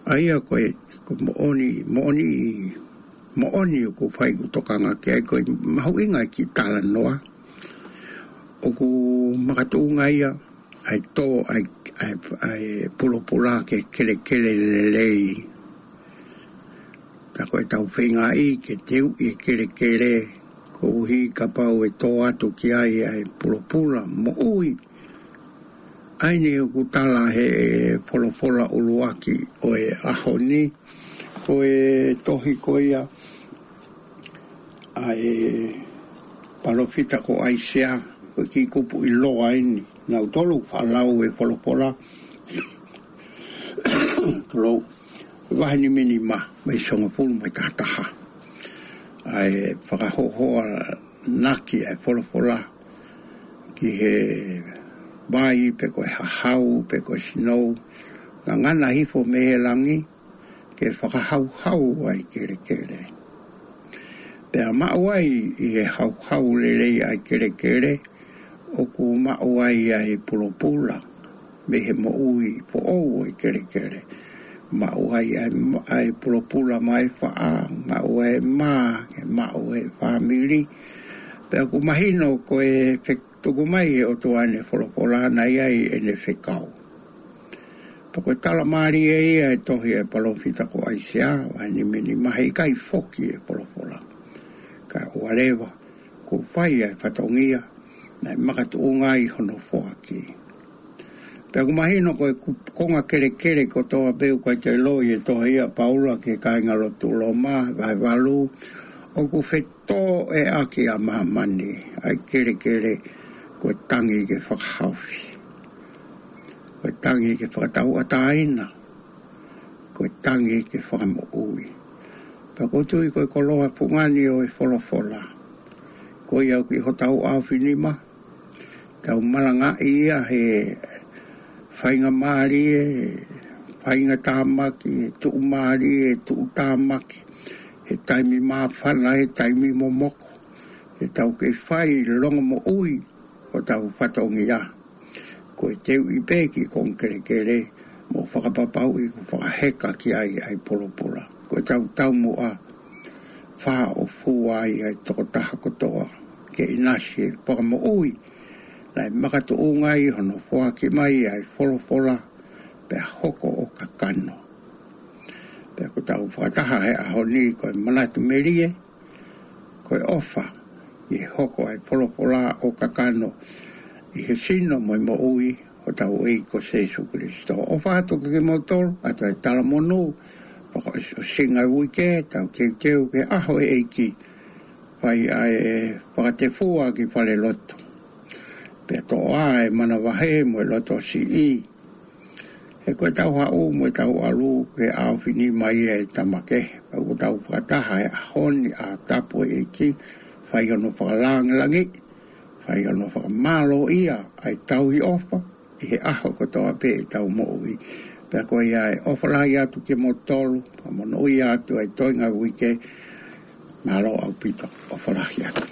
ʻA ia ko e, ko e moʻoni, moʻoni, moʻoni ʻoku fai ʻeku tokanga ki ai, ko e mahuʻinga e kiʻi talanoa. ʻOku makatuʻunga ia, ʻa e tō, ʻa e, ʻa e, ʻa e pulopula ke kelekele lelei. Tā ko ʻetau feingaʻi ke teuʻi e kelekele, koeʻuhi kapau ʻe tō atu ki ai ʻa e pulopula moʻui. ʻA eni ʻoku tala he folofola ʻuluaki ʻo e ʻaho ni, ko e tohi ko ia ʻa e palōfita ko ʻAisea, ko e kiʻi kupu ʻiloa eni. Nautolu faʻa lau e folofola, tolou, vahe nimanima, mei he hongofulu mā taha taha. ʻA e fakahohaʻanaki ʻa e folofola ki he vai pe ko e hahau pe ko e sinou, ngangana hifo mei he langi, ke fakahauhau ʻa e kelekele. Pea maʻu ai ʻi he hauhau lelei ʻa e kelekele, ʻoku maʻu ai ʻa e pulopula, mei he moʻui foʻou ʻa e kelekele. Maʻu ai ʻa e, ʻa e pulopula maʻa e faʻa, maʻu ʻa e mā, ke maʻu ʻa e fāmili. Pea ʻoku mahino ko e fe-, tuku mai ʻe he ʻOtua ʻene folofola naʻe ʻi ai ʻene fekau. Pea ko e tala mālie ia ʻa e tohi ʻa e palōfita ko ʻAisea, vahe nimanima, heʻikai foki e folofola. Ka ʻoua leva, kuo fai ʻa e fatongia, naʻe makatuʻunga ai hono foaki. Pea ʻoku mahino ko e ku-, konga kelekele kotoa pē ʻoku ʻikai toe ʻilo ʻi he tohi ʻa Paula ki he kāingalotu Loma, vahe valu, ʻoku fe- tō ʻe ʻaki ʻa māmani, ʻa e kelekele, ko e tangi ke fakahaofi. Ko e tangi ke fakatauʻatāina. Ko e tangi ke fakamoʻui. Pea ʻoku ou tui ko e koloa fungani ʻo e folofola. Ko ia ʻoku ʻi hotau ʻaofinima, tau malangaʻi ia he faingamālie, faingatāmaki, tuʻumālie, tuʻutāmaki, he taimi māfana, he taimi momoko, he tau kei fai longomoʻui ʻo tau fatongia. Ko e teuʻi pē ki he konga kelekele, mo fakapapauʻi kuo fakaheka ki ai ʻa e pulopula. Ko e tau taumuʻa, fāʻofua ai ʻa e tokotaha kotoa, ke ʻinasi e fakamoʻui, naʻe makatuʻunga ai hono foaki mai ʻa e folofola, pea hoko ʻo kakano. Pea ʻoku tau fakataha he ʻaho ni ko e manatu melie, ko e ʻofa, ʻi he hoko ʻa e folofola ʻo kakano, ʻi he sino mo e moʻui, hotau ʻEiki ko Sēsū Kilisitō. ʻOfa atu kiate kimoutolu, ʻa e talamonū, fakaʻosinga uike, tau teuteu ki he ʻaho ʻo e ʻEiki, fai ʻa e fakatefua ki falelotu. Pea toʻo ʻa e manavahē mo e loto siʻi. He ko e tau haʻu mo e tau ʻalu ki he ʻaofinima ʻa e tama kehe. Pea ʻoku tau fakataha he ʻaho ni ʻa e tapu ʻo e ʻEiki, fai hono fakalangilangi, fai hono fakamālōʻia ʻa e tauhi ʻofa, ʻi he ʻaho kotoa pē ʻetau moʻui. Pea ko ia ʻe ʻofa lahi atu kiate kimoutolu, pea monūʻia atu ʻa e toenga uike, mālō ʻaupito, ʻofa lahi atu.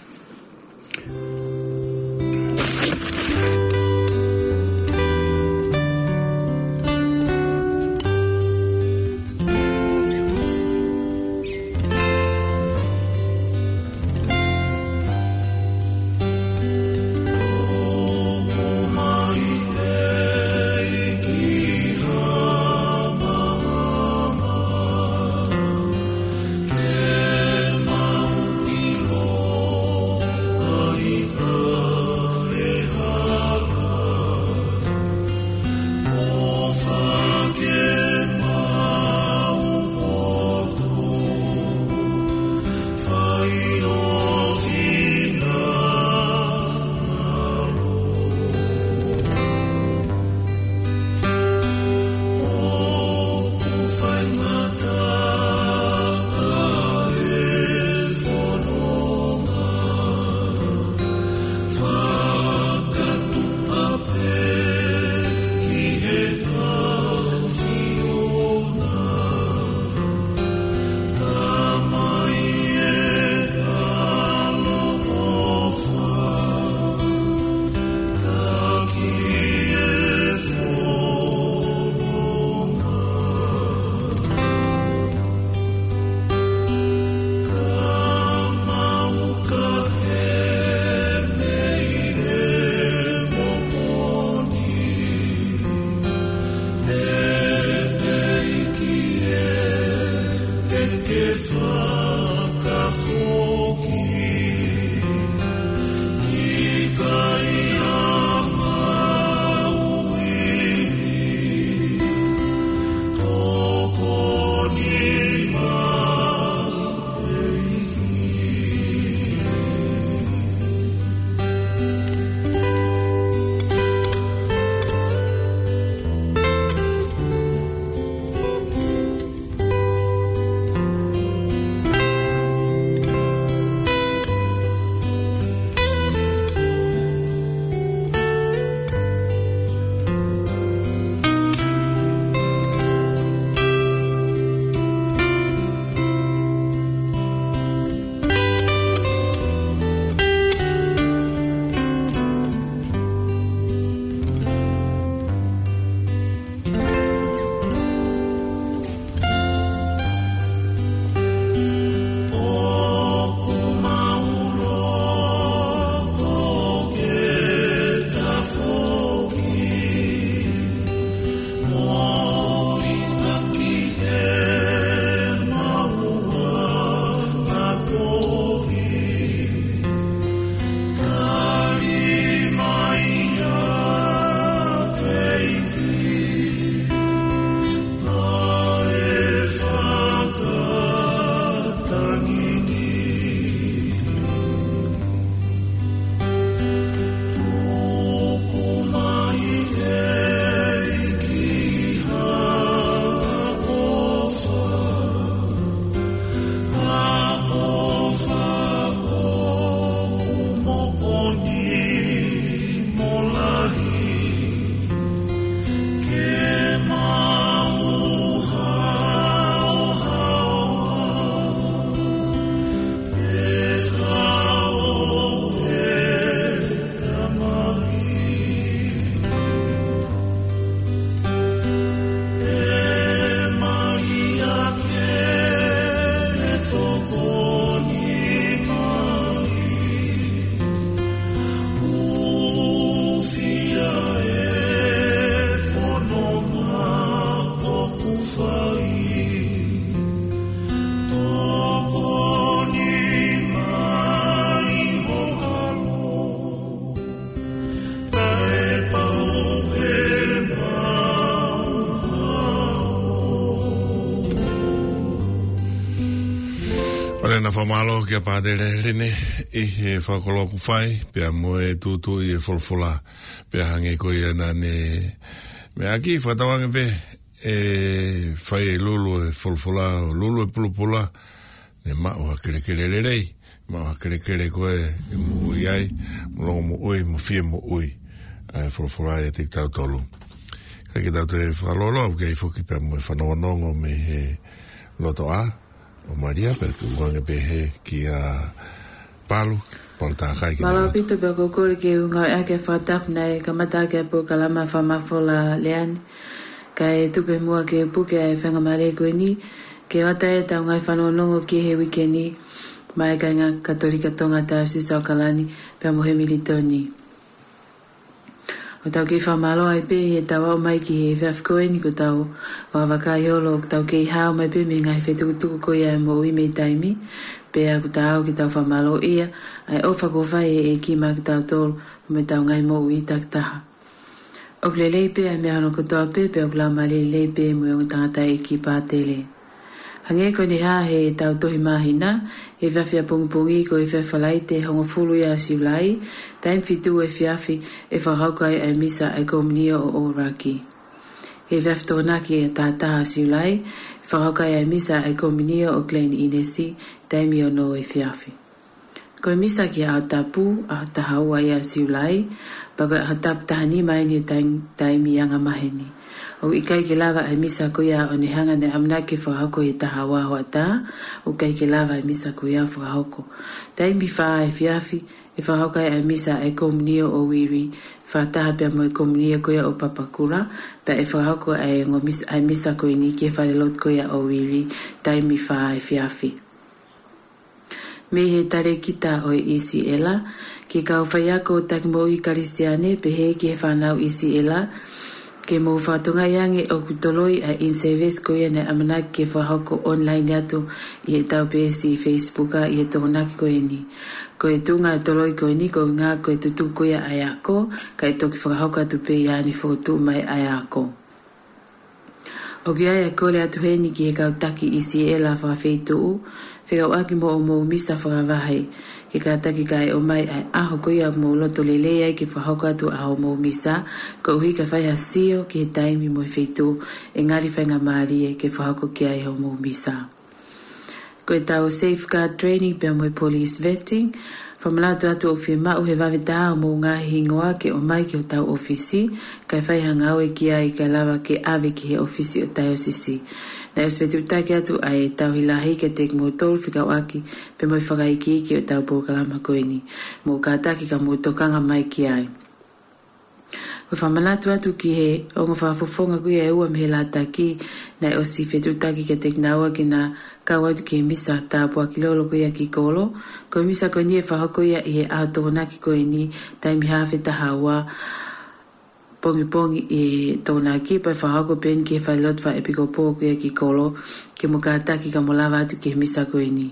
Fakamālō kia Pātele Lene ʻi he fakakoloa kuo fai, pea mo e tuʻutuʻuni e folofola, pea hangē ko ia naʻa ne meʻa ʻaki, fakatauange pē ʻe fai e lulu e folofola, ʻo lulu e pulopula, ne maʻu ha kelekele lelei, maʻu ha kelekele ko ē ʻe moʻui ai, mo longomoʻui, mo fie moʻui ʻa e folofola ʻiate kitautolu. Ka ke tau toe fakalōloa, ʻoku ʻi ai foki pea mo e fanongonongo mei he lotoʻā ʻo Malia, pea tukuange pē he kia Palu, Palu Takai ki Mālō Nāvā. Pito pea ko kole ke u ngāueʻaki e fakatapu naʻe kamata ʻaki e polokalama fakamafola lea ni. Kae tuku pē muʻa ke puke ʻa e faingamālie ko eni, ke ʻoatu e tau ngaahi fanongonongo ki he uike ni, maʻa e kāinga Katolika Tonga Taisesi ʻAokalani, pea mo Hemilitoni. ʻOku tau kei fakamālō ai pē he tau aʻu mai ki he efiafi ko eni, ko ʻetau vakavakai holo ʻoku tau kei hao mai pē mei he ngaahi fetukutuku ko ia e moʻui mei taimi, pea ʻoku tau kei tau fakamālōʻia ʻa e ʻofa kuo fai ʻe he ʻEiki maʻa kitautolu mo ʻetau ngaahi moʻui takitaha. ʻOku lelei pē ʻa e meʻa hono kotoa pē, pea ʻoku laumālie lelei pē mo e ongo tangataʻeiki Pātele. Hangē ko ʻene hā he tau tohi māhina, he efiafi ʻapongipongi ko e efiafi Falaite hongofulu ia ʻo Siulai, taimi fitu efiafi ʻe fakahoko ai ʻa e misa ʻa e komiunio ʻo ʻOuraki. He efiafi Tokonaki ʻe taha taha ʻo Siulai, ʻe fakahoko ai ʻa e misa ʻa e komiunio ʻo Glen Innes, taimi ono efiafi. Ko e misa ki he ʻaho tapu, ʻaho taha ua ia ʻo Siulai, pea ko e ʻaho tapu taha nima eni ʻo e taim-, taimi angamaheni. ʻOku ʻikai ke lava ʻa e misa ko ia ʻo ne hanga ʻo ne ʻamanaki ke fakahoko he taha ua hoʻatā, ʻoku ʻikai ke lava ʻa e misa ko ia ʻo fakahoko. Taimi fā efiafi, ʻe fakahoko ai ʻa e misa ʻa e komiunio ʻo Uiri, fakataha pea mo e komiunio ko ia ʻo Papakura, pea ʻe fakahoko ʻa e ongo mis-, ʻa e misa ko eni ki he falelotu ko ia ʻo Uiri, taimi fā efiafi. Mei he talēkita ʻo e ʻIsiʻela, ki he kau faiako taki moʻui Kalisitiane, pehē ki he fānau ʻIsiʻela, ke mou fakatokangaʻi ange ʻoku toloi ʻa e in-service ko ia naʻe ʻamanaki ke fakahoko online atu ʻi heʻetau peesi Facebook ʻi he Tokonaki ko eni. Ko e tuʻunga e toloi ko eni ko e ʻuhinga ko e tutuku ko ia ʻa e ako, kae toki fakahoko atu pē ʻi he ʻaho ni fokotuʻu mai ʻa e ako. ʻOku ʻi ai ʻa e kole atu heni ki he kau taki ʻIsiʻela fakafeituʻu, fekauʻaki mo hoʻomou misa fakavahe, ke kātaki kae ʻomai ʻa e ʻaho ko ia ʻoku mou loto lelei ai ke fakahoko atu ʻa hoʻomou misa, koeʻuhi ka fai ha sio ki he taimi mo e feituʻu ʻe ngali faingamālie ke fakahoko ki ai hoʻomou misa. Ko ʻetau safeguard training pea mo e police vetting, fakamanatu atu ʻoku fiemaʻu he vave taha hoʻomou ngaahi hingoa ke ʻomai ki hotau ʻōfisi, kae fai ha ngāue ki ai kae lava ke ʻave ki he ʻōfisi ʻo e taiosisi. Naʻe ʻosi fetuʻutaki atu ʻa e tauhi lahi kiate kimoutolu fekauʻaki pea mo e fakaikiiki ʻo ʻetau polokalama ko eni. Mou kātaki ka mou tokanga mai ki ai. Ko e fakamanatu atu ki he ongo fakafofonga ko ia ʻe ua mei he lataki, naʻe ʻosi fetuʻutaki kiate kinaua ke na kau atu ki he misa tāpuaki lolo ko ia ki kolo. Ko e misa ko eni ʻe fakahoko ia ʻi he ʻaho Tokonaki ko eni, taimi haafe taha ua pongipongi ʻi he Tokonaki, pea ʻe fakahoko pē eni ki he falelotu fakaʻepikopō ko ia ki kolo, ke mou kātaki ka mou lava atu ki he misa ko eni.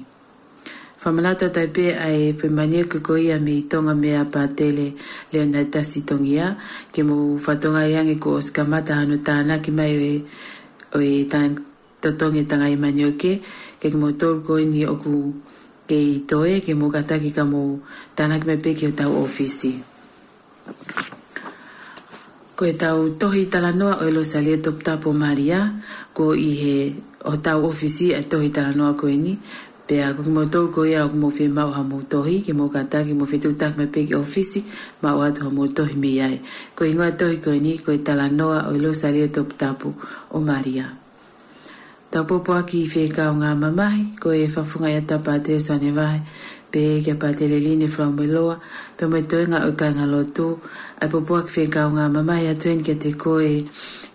Fakamanatu atu ai pē ʻa e foʻi manioke ko ia mei Tonga meia Pātele Leonard Tasi Tongia, ke mou fakatokangaʻi ange kuo ʻosi kamata hono tānaki mai ʻo e, ʻo e tān-, totongi e tangai manioke, ke kimoutolu ko eni ʻoku kei toe, ke mou kātaki ka mou tānaki mai pē ki hotau ʻōfisi. Ko ʻetau tohi talanoa ʻo e Losālio Toputapu ʻo Malia, ko e ʻi he hotau ʻōfisi ʻa e tohi talanoa ko eni, pea ko kimoutolu ko ia ʻoku mou fiemaʻu haʻamou tohi, ke mou kātaki mou fetuʻutaki mai pē ki he ʻōfisi, maʻu atu haʻamou tohi mei ai. Ko e hingoa e tohi ko eni, ko e talanoa ʻo e Losālio Toputapu ʻo Malia. Tau pōpoaki fekau ngā mamahi, ko e fakafofongaʻi atu ʻa Pātele Soane Vahe, pehē kia Pātele Line Falamoeloa, pea mo e toenga ʻo e kāingalotu, ʻa e pōpoaki fekau ngā mamahi atu eni kiate koe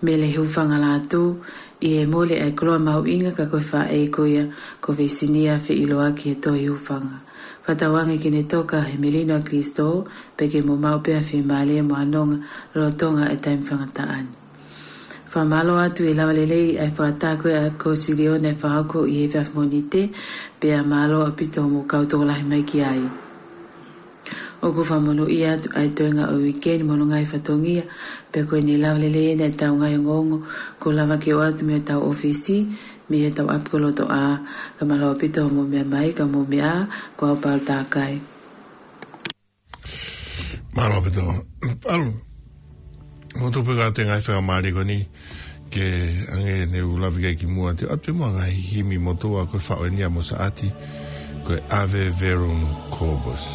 Mele Hufanga Lātū, ʻi he mole ʻa e koloa mahuʻinga ka ko e faʻē ko ia, ko Veisinia Feʻiloaki Hetohi Hufanga. Fakatauange ke ne toka he melino ʻa Kalaisi, pea ke mou maʻu pē ʻa e fiemālie mo e nonga, lolotonga e taimi faingataʻa ni. Fakamālō atu e lava lelei ʻa e fakataha ko ia ʻa e Kōsilione ʻe fakahoko ʻi he efiafi Mōnite, pea mālō ʻaupito hoʻomou kau tokolahi mai ki ai. ʻOku fakamonūʻia atu ʻa e toenga ʻo e uike ni mo hono ngaahi fatongia, pea ko ʻene lava lelei eni ʻetau ngaahi ongoongo, kuo lava ke ʻoatu mei hotau ʻōfisi, mei he tau ʻapi ko Lotoʻā, ka mālō ʻaupito hoʻomou meʻa mai, ka mou meʻa ā, ko au Paula Takai. Mālō ʻaupito. Paula, mou tupu ka te ngaahi faingamālie ko eni, ke ʻange ne u lave ki ai kimuʻa, te u ʻoatu pē muʻa ngaahi himi motuʻa ko e faʻu eni ʻa Mosaʻati, ko e Ave Verum Corpus.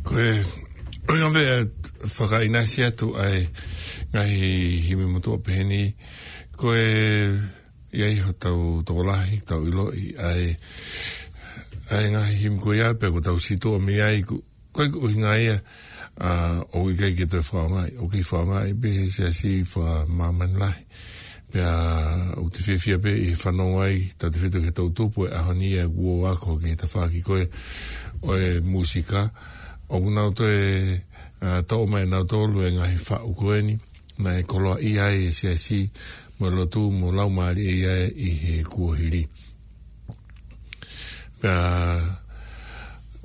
Ko e, ʻoku ʻikai ke fakaʻinasi atu ʻa e ngaahi himi motuʻa pehē ni, ko e ʻi ai hotau tokolahi, tau ʻiloʻi ʻa e, ʻa e ngaahi himi ko ia pea ko ʻetau sītuʻa mei ai, ko, ko e ʻuhinga ia, ʻa, ʻoku ʻikai ke toe fakaʻaongaʻi, ʻoku kei fakaʻaongaʻi pē he siasi fakamāmani lahi. Pea ʻoku te fiefia pē ʻi he fanongo ai, tautefito ki he toʻutupu ʻo e ʻaho ni ʻa e kuo ako ki he tafaʻaki ko ē ʻo e mūsika. ʻOku nau toe, ʻa, toʻo mai ʻe nautolu e ngaahi faʻu ko eni, naʻe koloaʻia ai e siasi mo e lotu mo e laumālie ia ʻi he kuohili. Pea,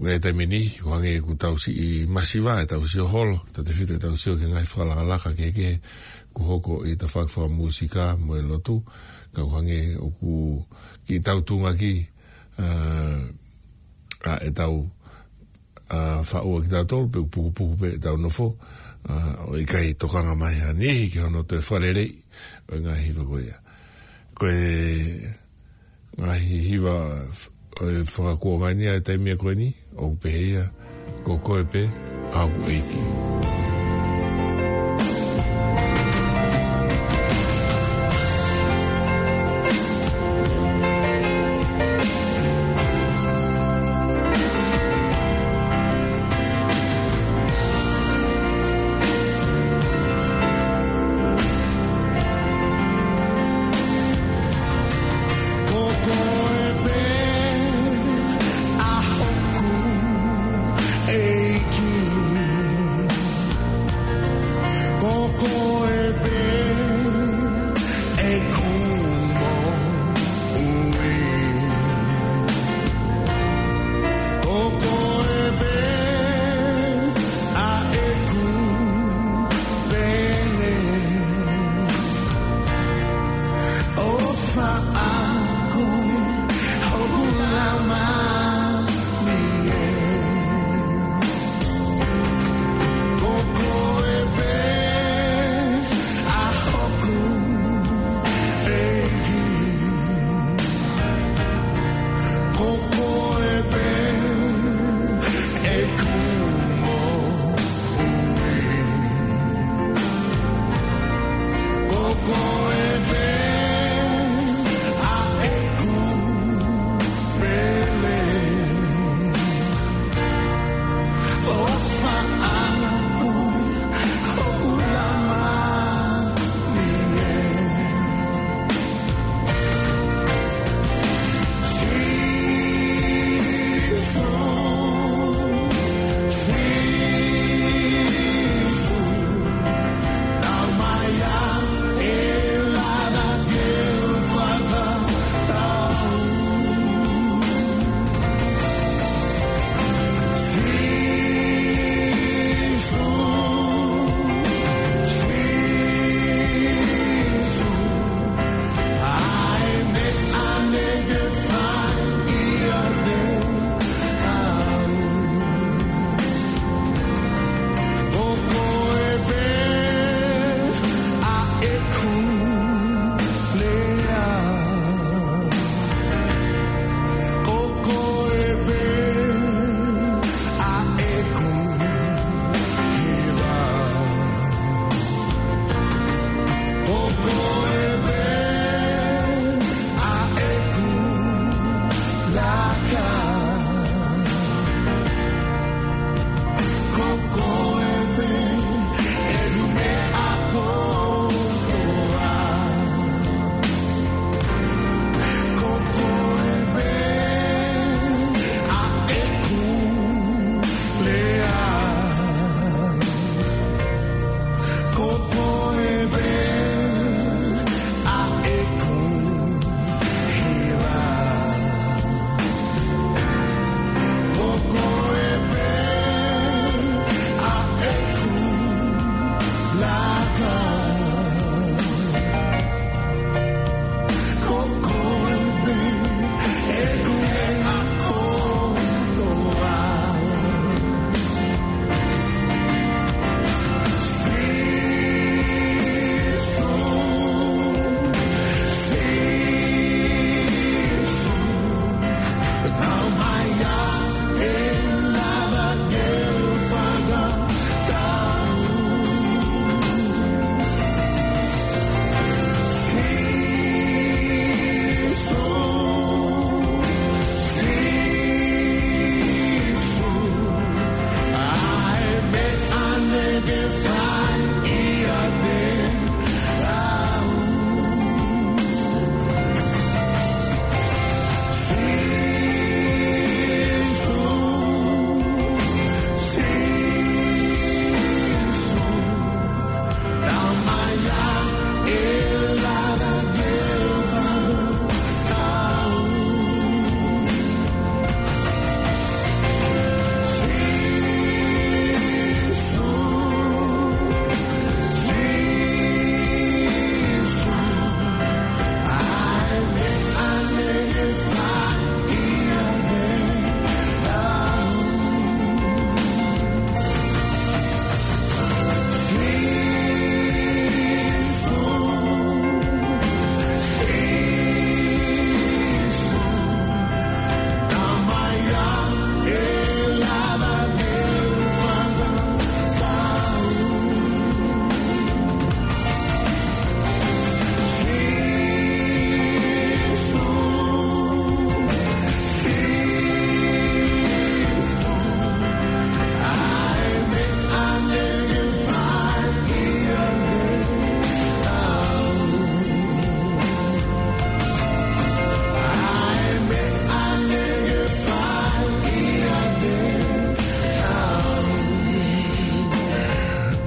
ʻi he taimi ni, ʻoku hangē ʻoku tau siʻi masiva, ʻetau sio holo, tautefito ʻetau sio ki he ngaahi fakalakalaka kehekehe kuo hoko ʻi he tafaʻaki fakamūsika mo e lotu, ka ʻoku hangē ʻoku kiʻi tautunga ki, ʻa, ʻa ʻetau, ʻa, faʻu ʻa kitautolu, pe ʻoku pukupuku pē ʻetau nofo, ʻa, ʻo ʻikai tokanga mai ha niʻihi ki hono toe fakaleleiʻi ʻo e ngaahi hiva ko ia. Ko e ngaahi hiva f-, ʻo e fakakuonga ni ʻa e taimi ko eni, ʻoku pehē ia, Ko Koe Pē ʻa Hoku ʻEiki. Ko Koe Pē ʻa Hoku ʻEiki.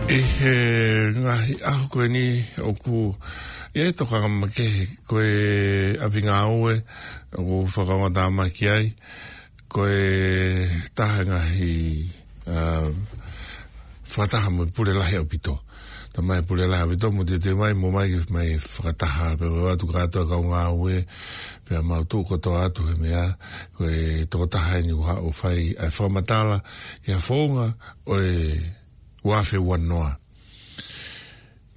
ʻI he ngaahi ʻaho ko eni ʻoku ʻi ai e tokanga makehe ko e ʻapi ngāue ʻoku fakaongotāmaki ai, ko e taha e ngaahi, ā, fakataha mo e pule lahi ʻaupito. Talamai pule lahi ʻaupito mo teuteu mai, mo mai, mai fakataha, pea ʻoatu kātoa kau ngāue, pea mau tuʻu kotoa atu he meʻa, ko e tokotaha eni ʻoku haʻu ʻo fai ʻa e fakamatala ki ha founga ʻo e ua afe ua noa.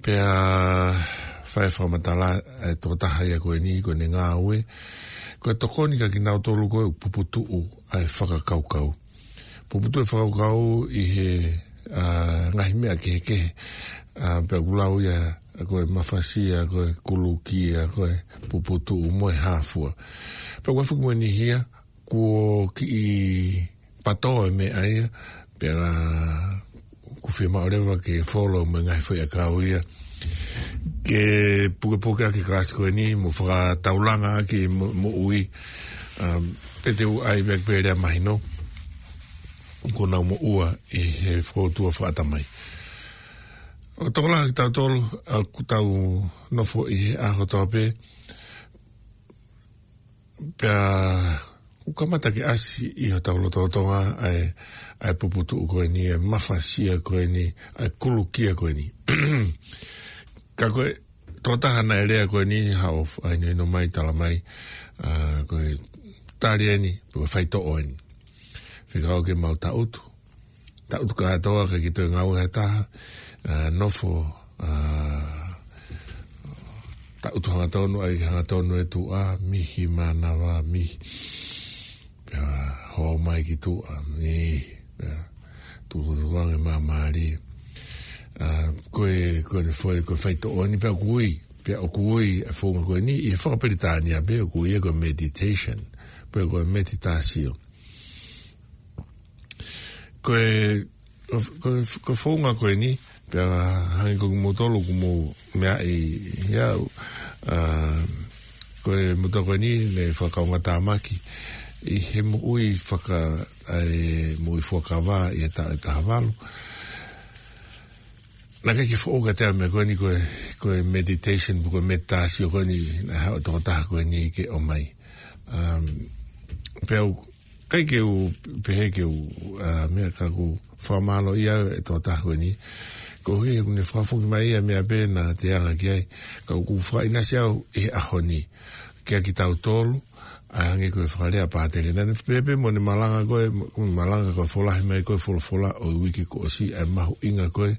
Pea fai fakamatala e tokotaha ia ko eni, ko ʻene ngāue ko e tokoni kia kinautolu ko e puputuʻu ʻa e fakakaukau. Puputuʻu e fakakaukau ʻi he, ā, ngaahi meʻa kehekehe, ā, pea ʻoku lau ia ko e mafasia, ko e kulukia, ko e puputuʻu mo e hā fua. Pea ʻoku ʻi ai foki mo e niʻihi ia kuo kiʻi pato e meʻa ia, pea ʻoku fiemaʻu leva ke follow mo e ngaahi foʻi ʻakau ia, ke pukepuke ʻaki e kalasi ko eni, mo fakataulanga ʻaki mo, moʻui, um, pea te u ʻai pē ke pehē lea mahino, kuo nau moʻua ʻi he fokoutua fakaʻatamai. ʻOku tokolahi kitautolu, ā, ʻoku tau nofo ʻi he ʻaho kotoa pē, pea ʻoku kamata ke ʻasi ʻi hotau lotolotonga ʻa e, ʻa e puputuʻu ko eni, ʻa e mafasia ko eni, ʻa e kulukia ko eni. Ka ko e tokotaha naʻe lea ko eni, haʻu ʻo f-, ʻai nono mai, talamai, ā, ko e tali eni, ko e faitoʻo eni. Fekau ke mau taʻutu, taʻutu kātoa, ʻikai ke toe ngāue ha taha, ā, nofo, ā, taʻutu hangatonu, ʻai hangatonu e tuʻa, mihi mānava, mihi. Pea hō mai ki tuʻa, mihi. Pea tukutuku ange māmālie. Ā, ko e, ko ʻene foʻi, ko e faitoʻo eni pea ʻoku ui, pea ʻoku ui e founga ko eni, ʻi he fakapilitānia pē ʻoku ui ia ko e meditation, pe ko e meditasio. Ko e, ko, ko, ko e founga ko eni, pea hangē ko kimoutolu ʻoku mou meaʻi ia, ā, ko e motuʻa ko eni naʻe fakaongotāmaki ʻi he moʻui faka-, ʻa e moʻui fuakava ʻi he taʻu ʻe taha valu. Naʻe ʻikai ke foʻou kiate au e meʻa ko eni ko e, ko e meditation, ko e meditasio ko eni, naʻe haʻu e tokotaha ko eni ke ʻomai. Um, pea u ʻikai ke u pehē ke u, ā, meʻa ka ʻoku fakamālō ia e tokotaha ko eni. Koeʻuhi he ʻoku ne fakafoki mai ia meʻa pē naʻa te anga ki ai. Ka ʻoku fakaʻinasi au ʻi he ʻaho ni kia kitautolu, ʻa e hangē ko e fakalea pātele. Naʻa ne pehē pē mo ʻene malanga ko ē, mo, malanga ko e folahi mai ko e folofola ʻo e uike kuo ʻosi, ʻa e mahuʻinga ko ē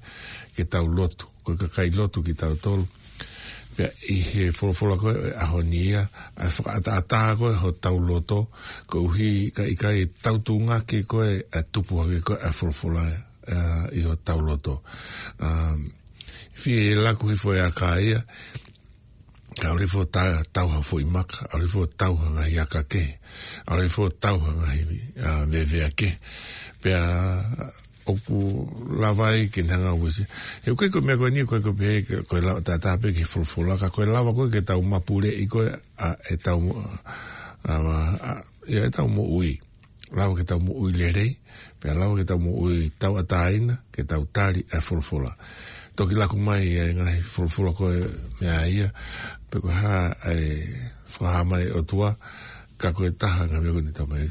ke tau lotu. Ko e kakai lotu kitautolu. Pea ʻi he folofola ko ē ʻo e ʻaho ni ia, ʻa e fakaʻataʻatā ko ē hotau loto, koeʻuhi ka ʻikai tau tungake ko ē, ʻa e tupu hake ko ē ʻa e folofola, ā, ʻi hotau loto. Um, fie laku hifo e aka ia, ʻalu hifo ta-, tau ha foʻi maka, ʻalu hifo tau ha ngaahi aka kehe, ʻalu hifo tau ha ngaahi, ā, vevea kehe. Pea ʻoku lava ai ke ne hanga ʻo uesia. He ʻoku ʻikai ko e meʻa ko eni, ʻoku ʻikai ko e pehē ke, ko e lava tatau pē ki he folofola, ka ko e lava ko ē ke tau mapuleʻi ko ē, ʻa, ʻetau mo-, ʻa, ʻa, ʻia ʻetau moʻui. Lava ke tau moʻui lelei, pea lava ke tau moʻui tauʻatāina, ke tau tali ʻa e folofola. Toki laku mai ʻa e ngaahi folofola ko e meʻa ia, pe ko e hā ʻa e fakahā mai ʻOtua, ka ko e taha ngaahi meʻa ko eni tau mai.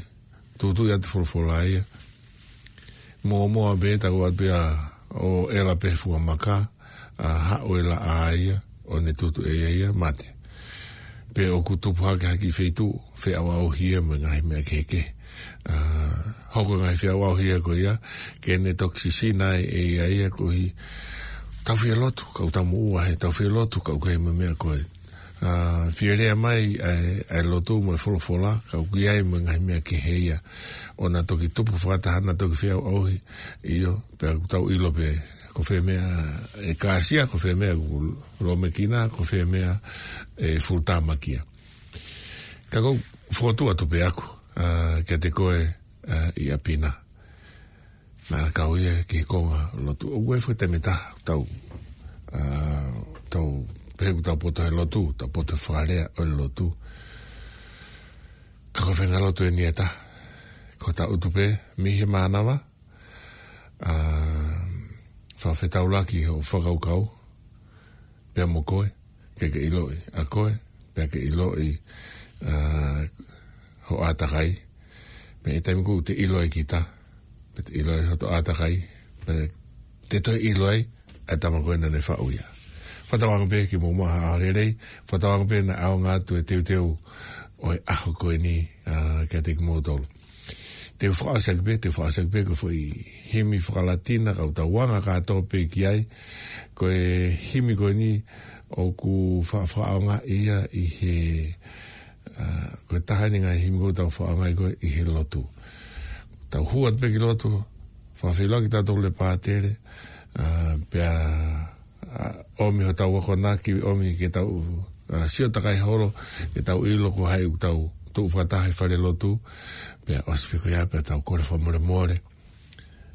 Tūtū ia te folofola ia. Mōmoa pē, tau atu pē ʻo ʻela pē he funga maka, ʻa, haʻu e laʻā ia, ʻo ne tutu ʻe ia ia, mate. Pea ʻoku tupu hake ha kiʻi feituʻu, feʻauʻauhi ia mo e ngaahi meʻa kehekehe. ʻA, hoko e ngaahi feʻauʻauhi ia ko ia, ke ne toki sisina ai ʻe ia ia koeʻuhi, tau fie lotu, kau tau moʻua he, tau fie lotu, kau kei mo e meʻa ko ē. ʻA, fie lea mai ʻa e, ʻa e lotu mo e folofola, ka ʻoku ʻi ai mo e ngaahi meʻa kehe ia. ʻO na toki tupu fakataha, na toki feʻauʻauhi, ʻio, pea ʻoku tau ʻilo pē, ko fē meʻa ʻe kāsia, ko fē meʻa ʻoku lōmekina, ko fē meʻa ʻe full time makia. Ka ʻoku ou fokotuʻu atu pē ʻaku, ʻa, kiate koe, ʻa, ʻi ʻapi na. Naʻa kau ia ki he konga lotu. ʻOku ʻi ai e foʻi taimi ʻe taha, tau, ʻa, tau pehē ʻoku tau poto he lotu, tau poto he fakalea ʻo e lotu. Ka ko e faʻahinga lotu eni ʻe taha. Ko hota ʻutu pē, mei he mānava, ʻa, fakafetaulaki hoʻo fakakaukau, pea mo koe, ke ke ʻiloʻi ʻa koe, pea ke ʻiloʻi, ʻa, hoʻo ʻātakai, pea ʻi he taimi ko ē te ʻilo ai kita, pea te ʻilo ai hoto ʻātakai, pea te toe ʻilo ai ʻa e tama ko ē naʻa ne faʻu ia. Fakatauange pē ke mou maʻu ha ʻaho lelei, fakatauange pē naʻe ʻaonga atu e teuteu ʻo e ʻaho ko eni, ʻa, kiate kimoutolu. Te u fakaʻosi ʻaki pē, te u fakaʻosi ʻaki pē ko e foʻi himi fakalatina, kau tau anga kātoa pē ki ai, ko e himi ko eni ʻoku fa-, fakaʻaongaʻi ia ʻi he, ʻa, ko e taha eni ngaahi himi ʻoku tau fakaʻaongaʻi ko ē ʻi he lotu. Tau hū atu pē ki lotu, fakafeʻiloaki tautolu ʻe pātele, ʻa, pea ʻa, ʻomi hotau akonaki, ʻomi ke tau, ʻa, sio takai holo, ke tau ʻilo ko hai ʻoku tau tuʻu fakataha he fale lotu, pea ʻosi pē ko ia, pea tau kole fakamolemole,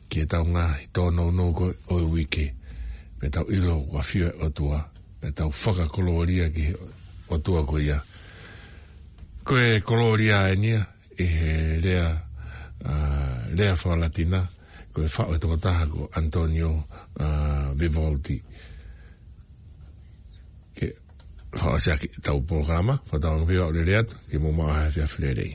ki heʻetau ngaahi tōnounou ko ē ʻo e uike, pea tau ʻilo ʻoku ʻafio ʻa e ʻOtua, pea tau fakakolōlia ki he ʻOtua ko ia. Ko e kolōlia eni ia, ʻi he lea, ʻa, lea fakalatina, ko e faʻu ʻe he tokotaha ko Antonio, ʻa, Vivaldi. Ke fakaʻosi ʻaki ʻetau polokalama, fakatauange pē ʻoku ou lele atu, ke mou maʻu ha efiafi lelei.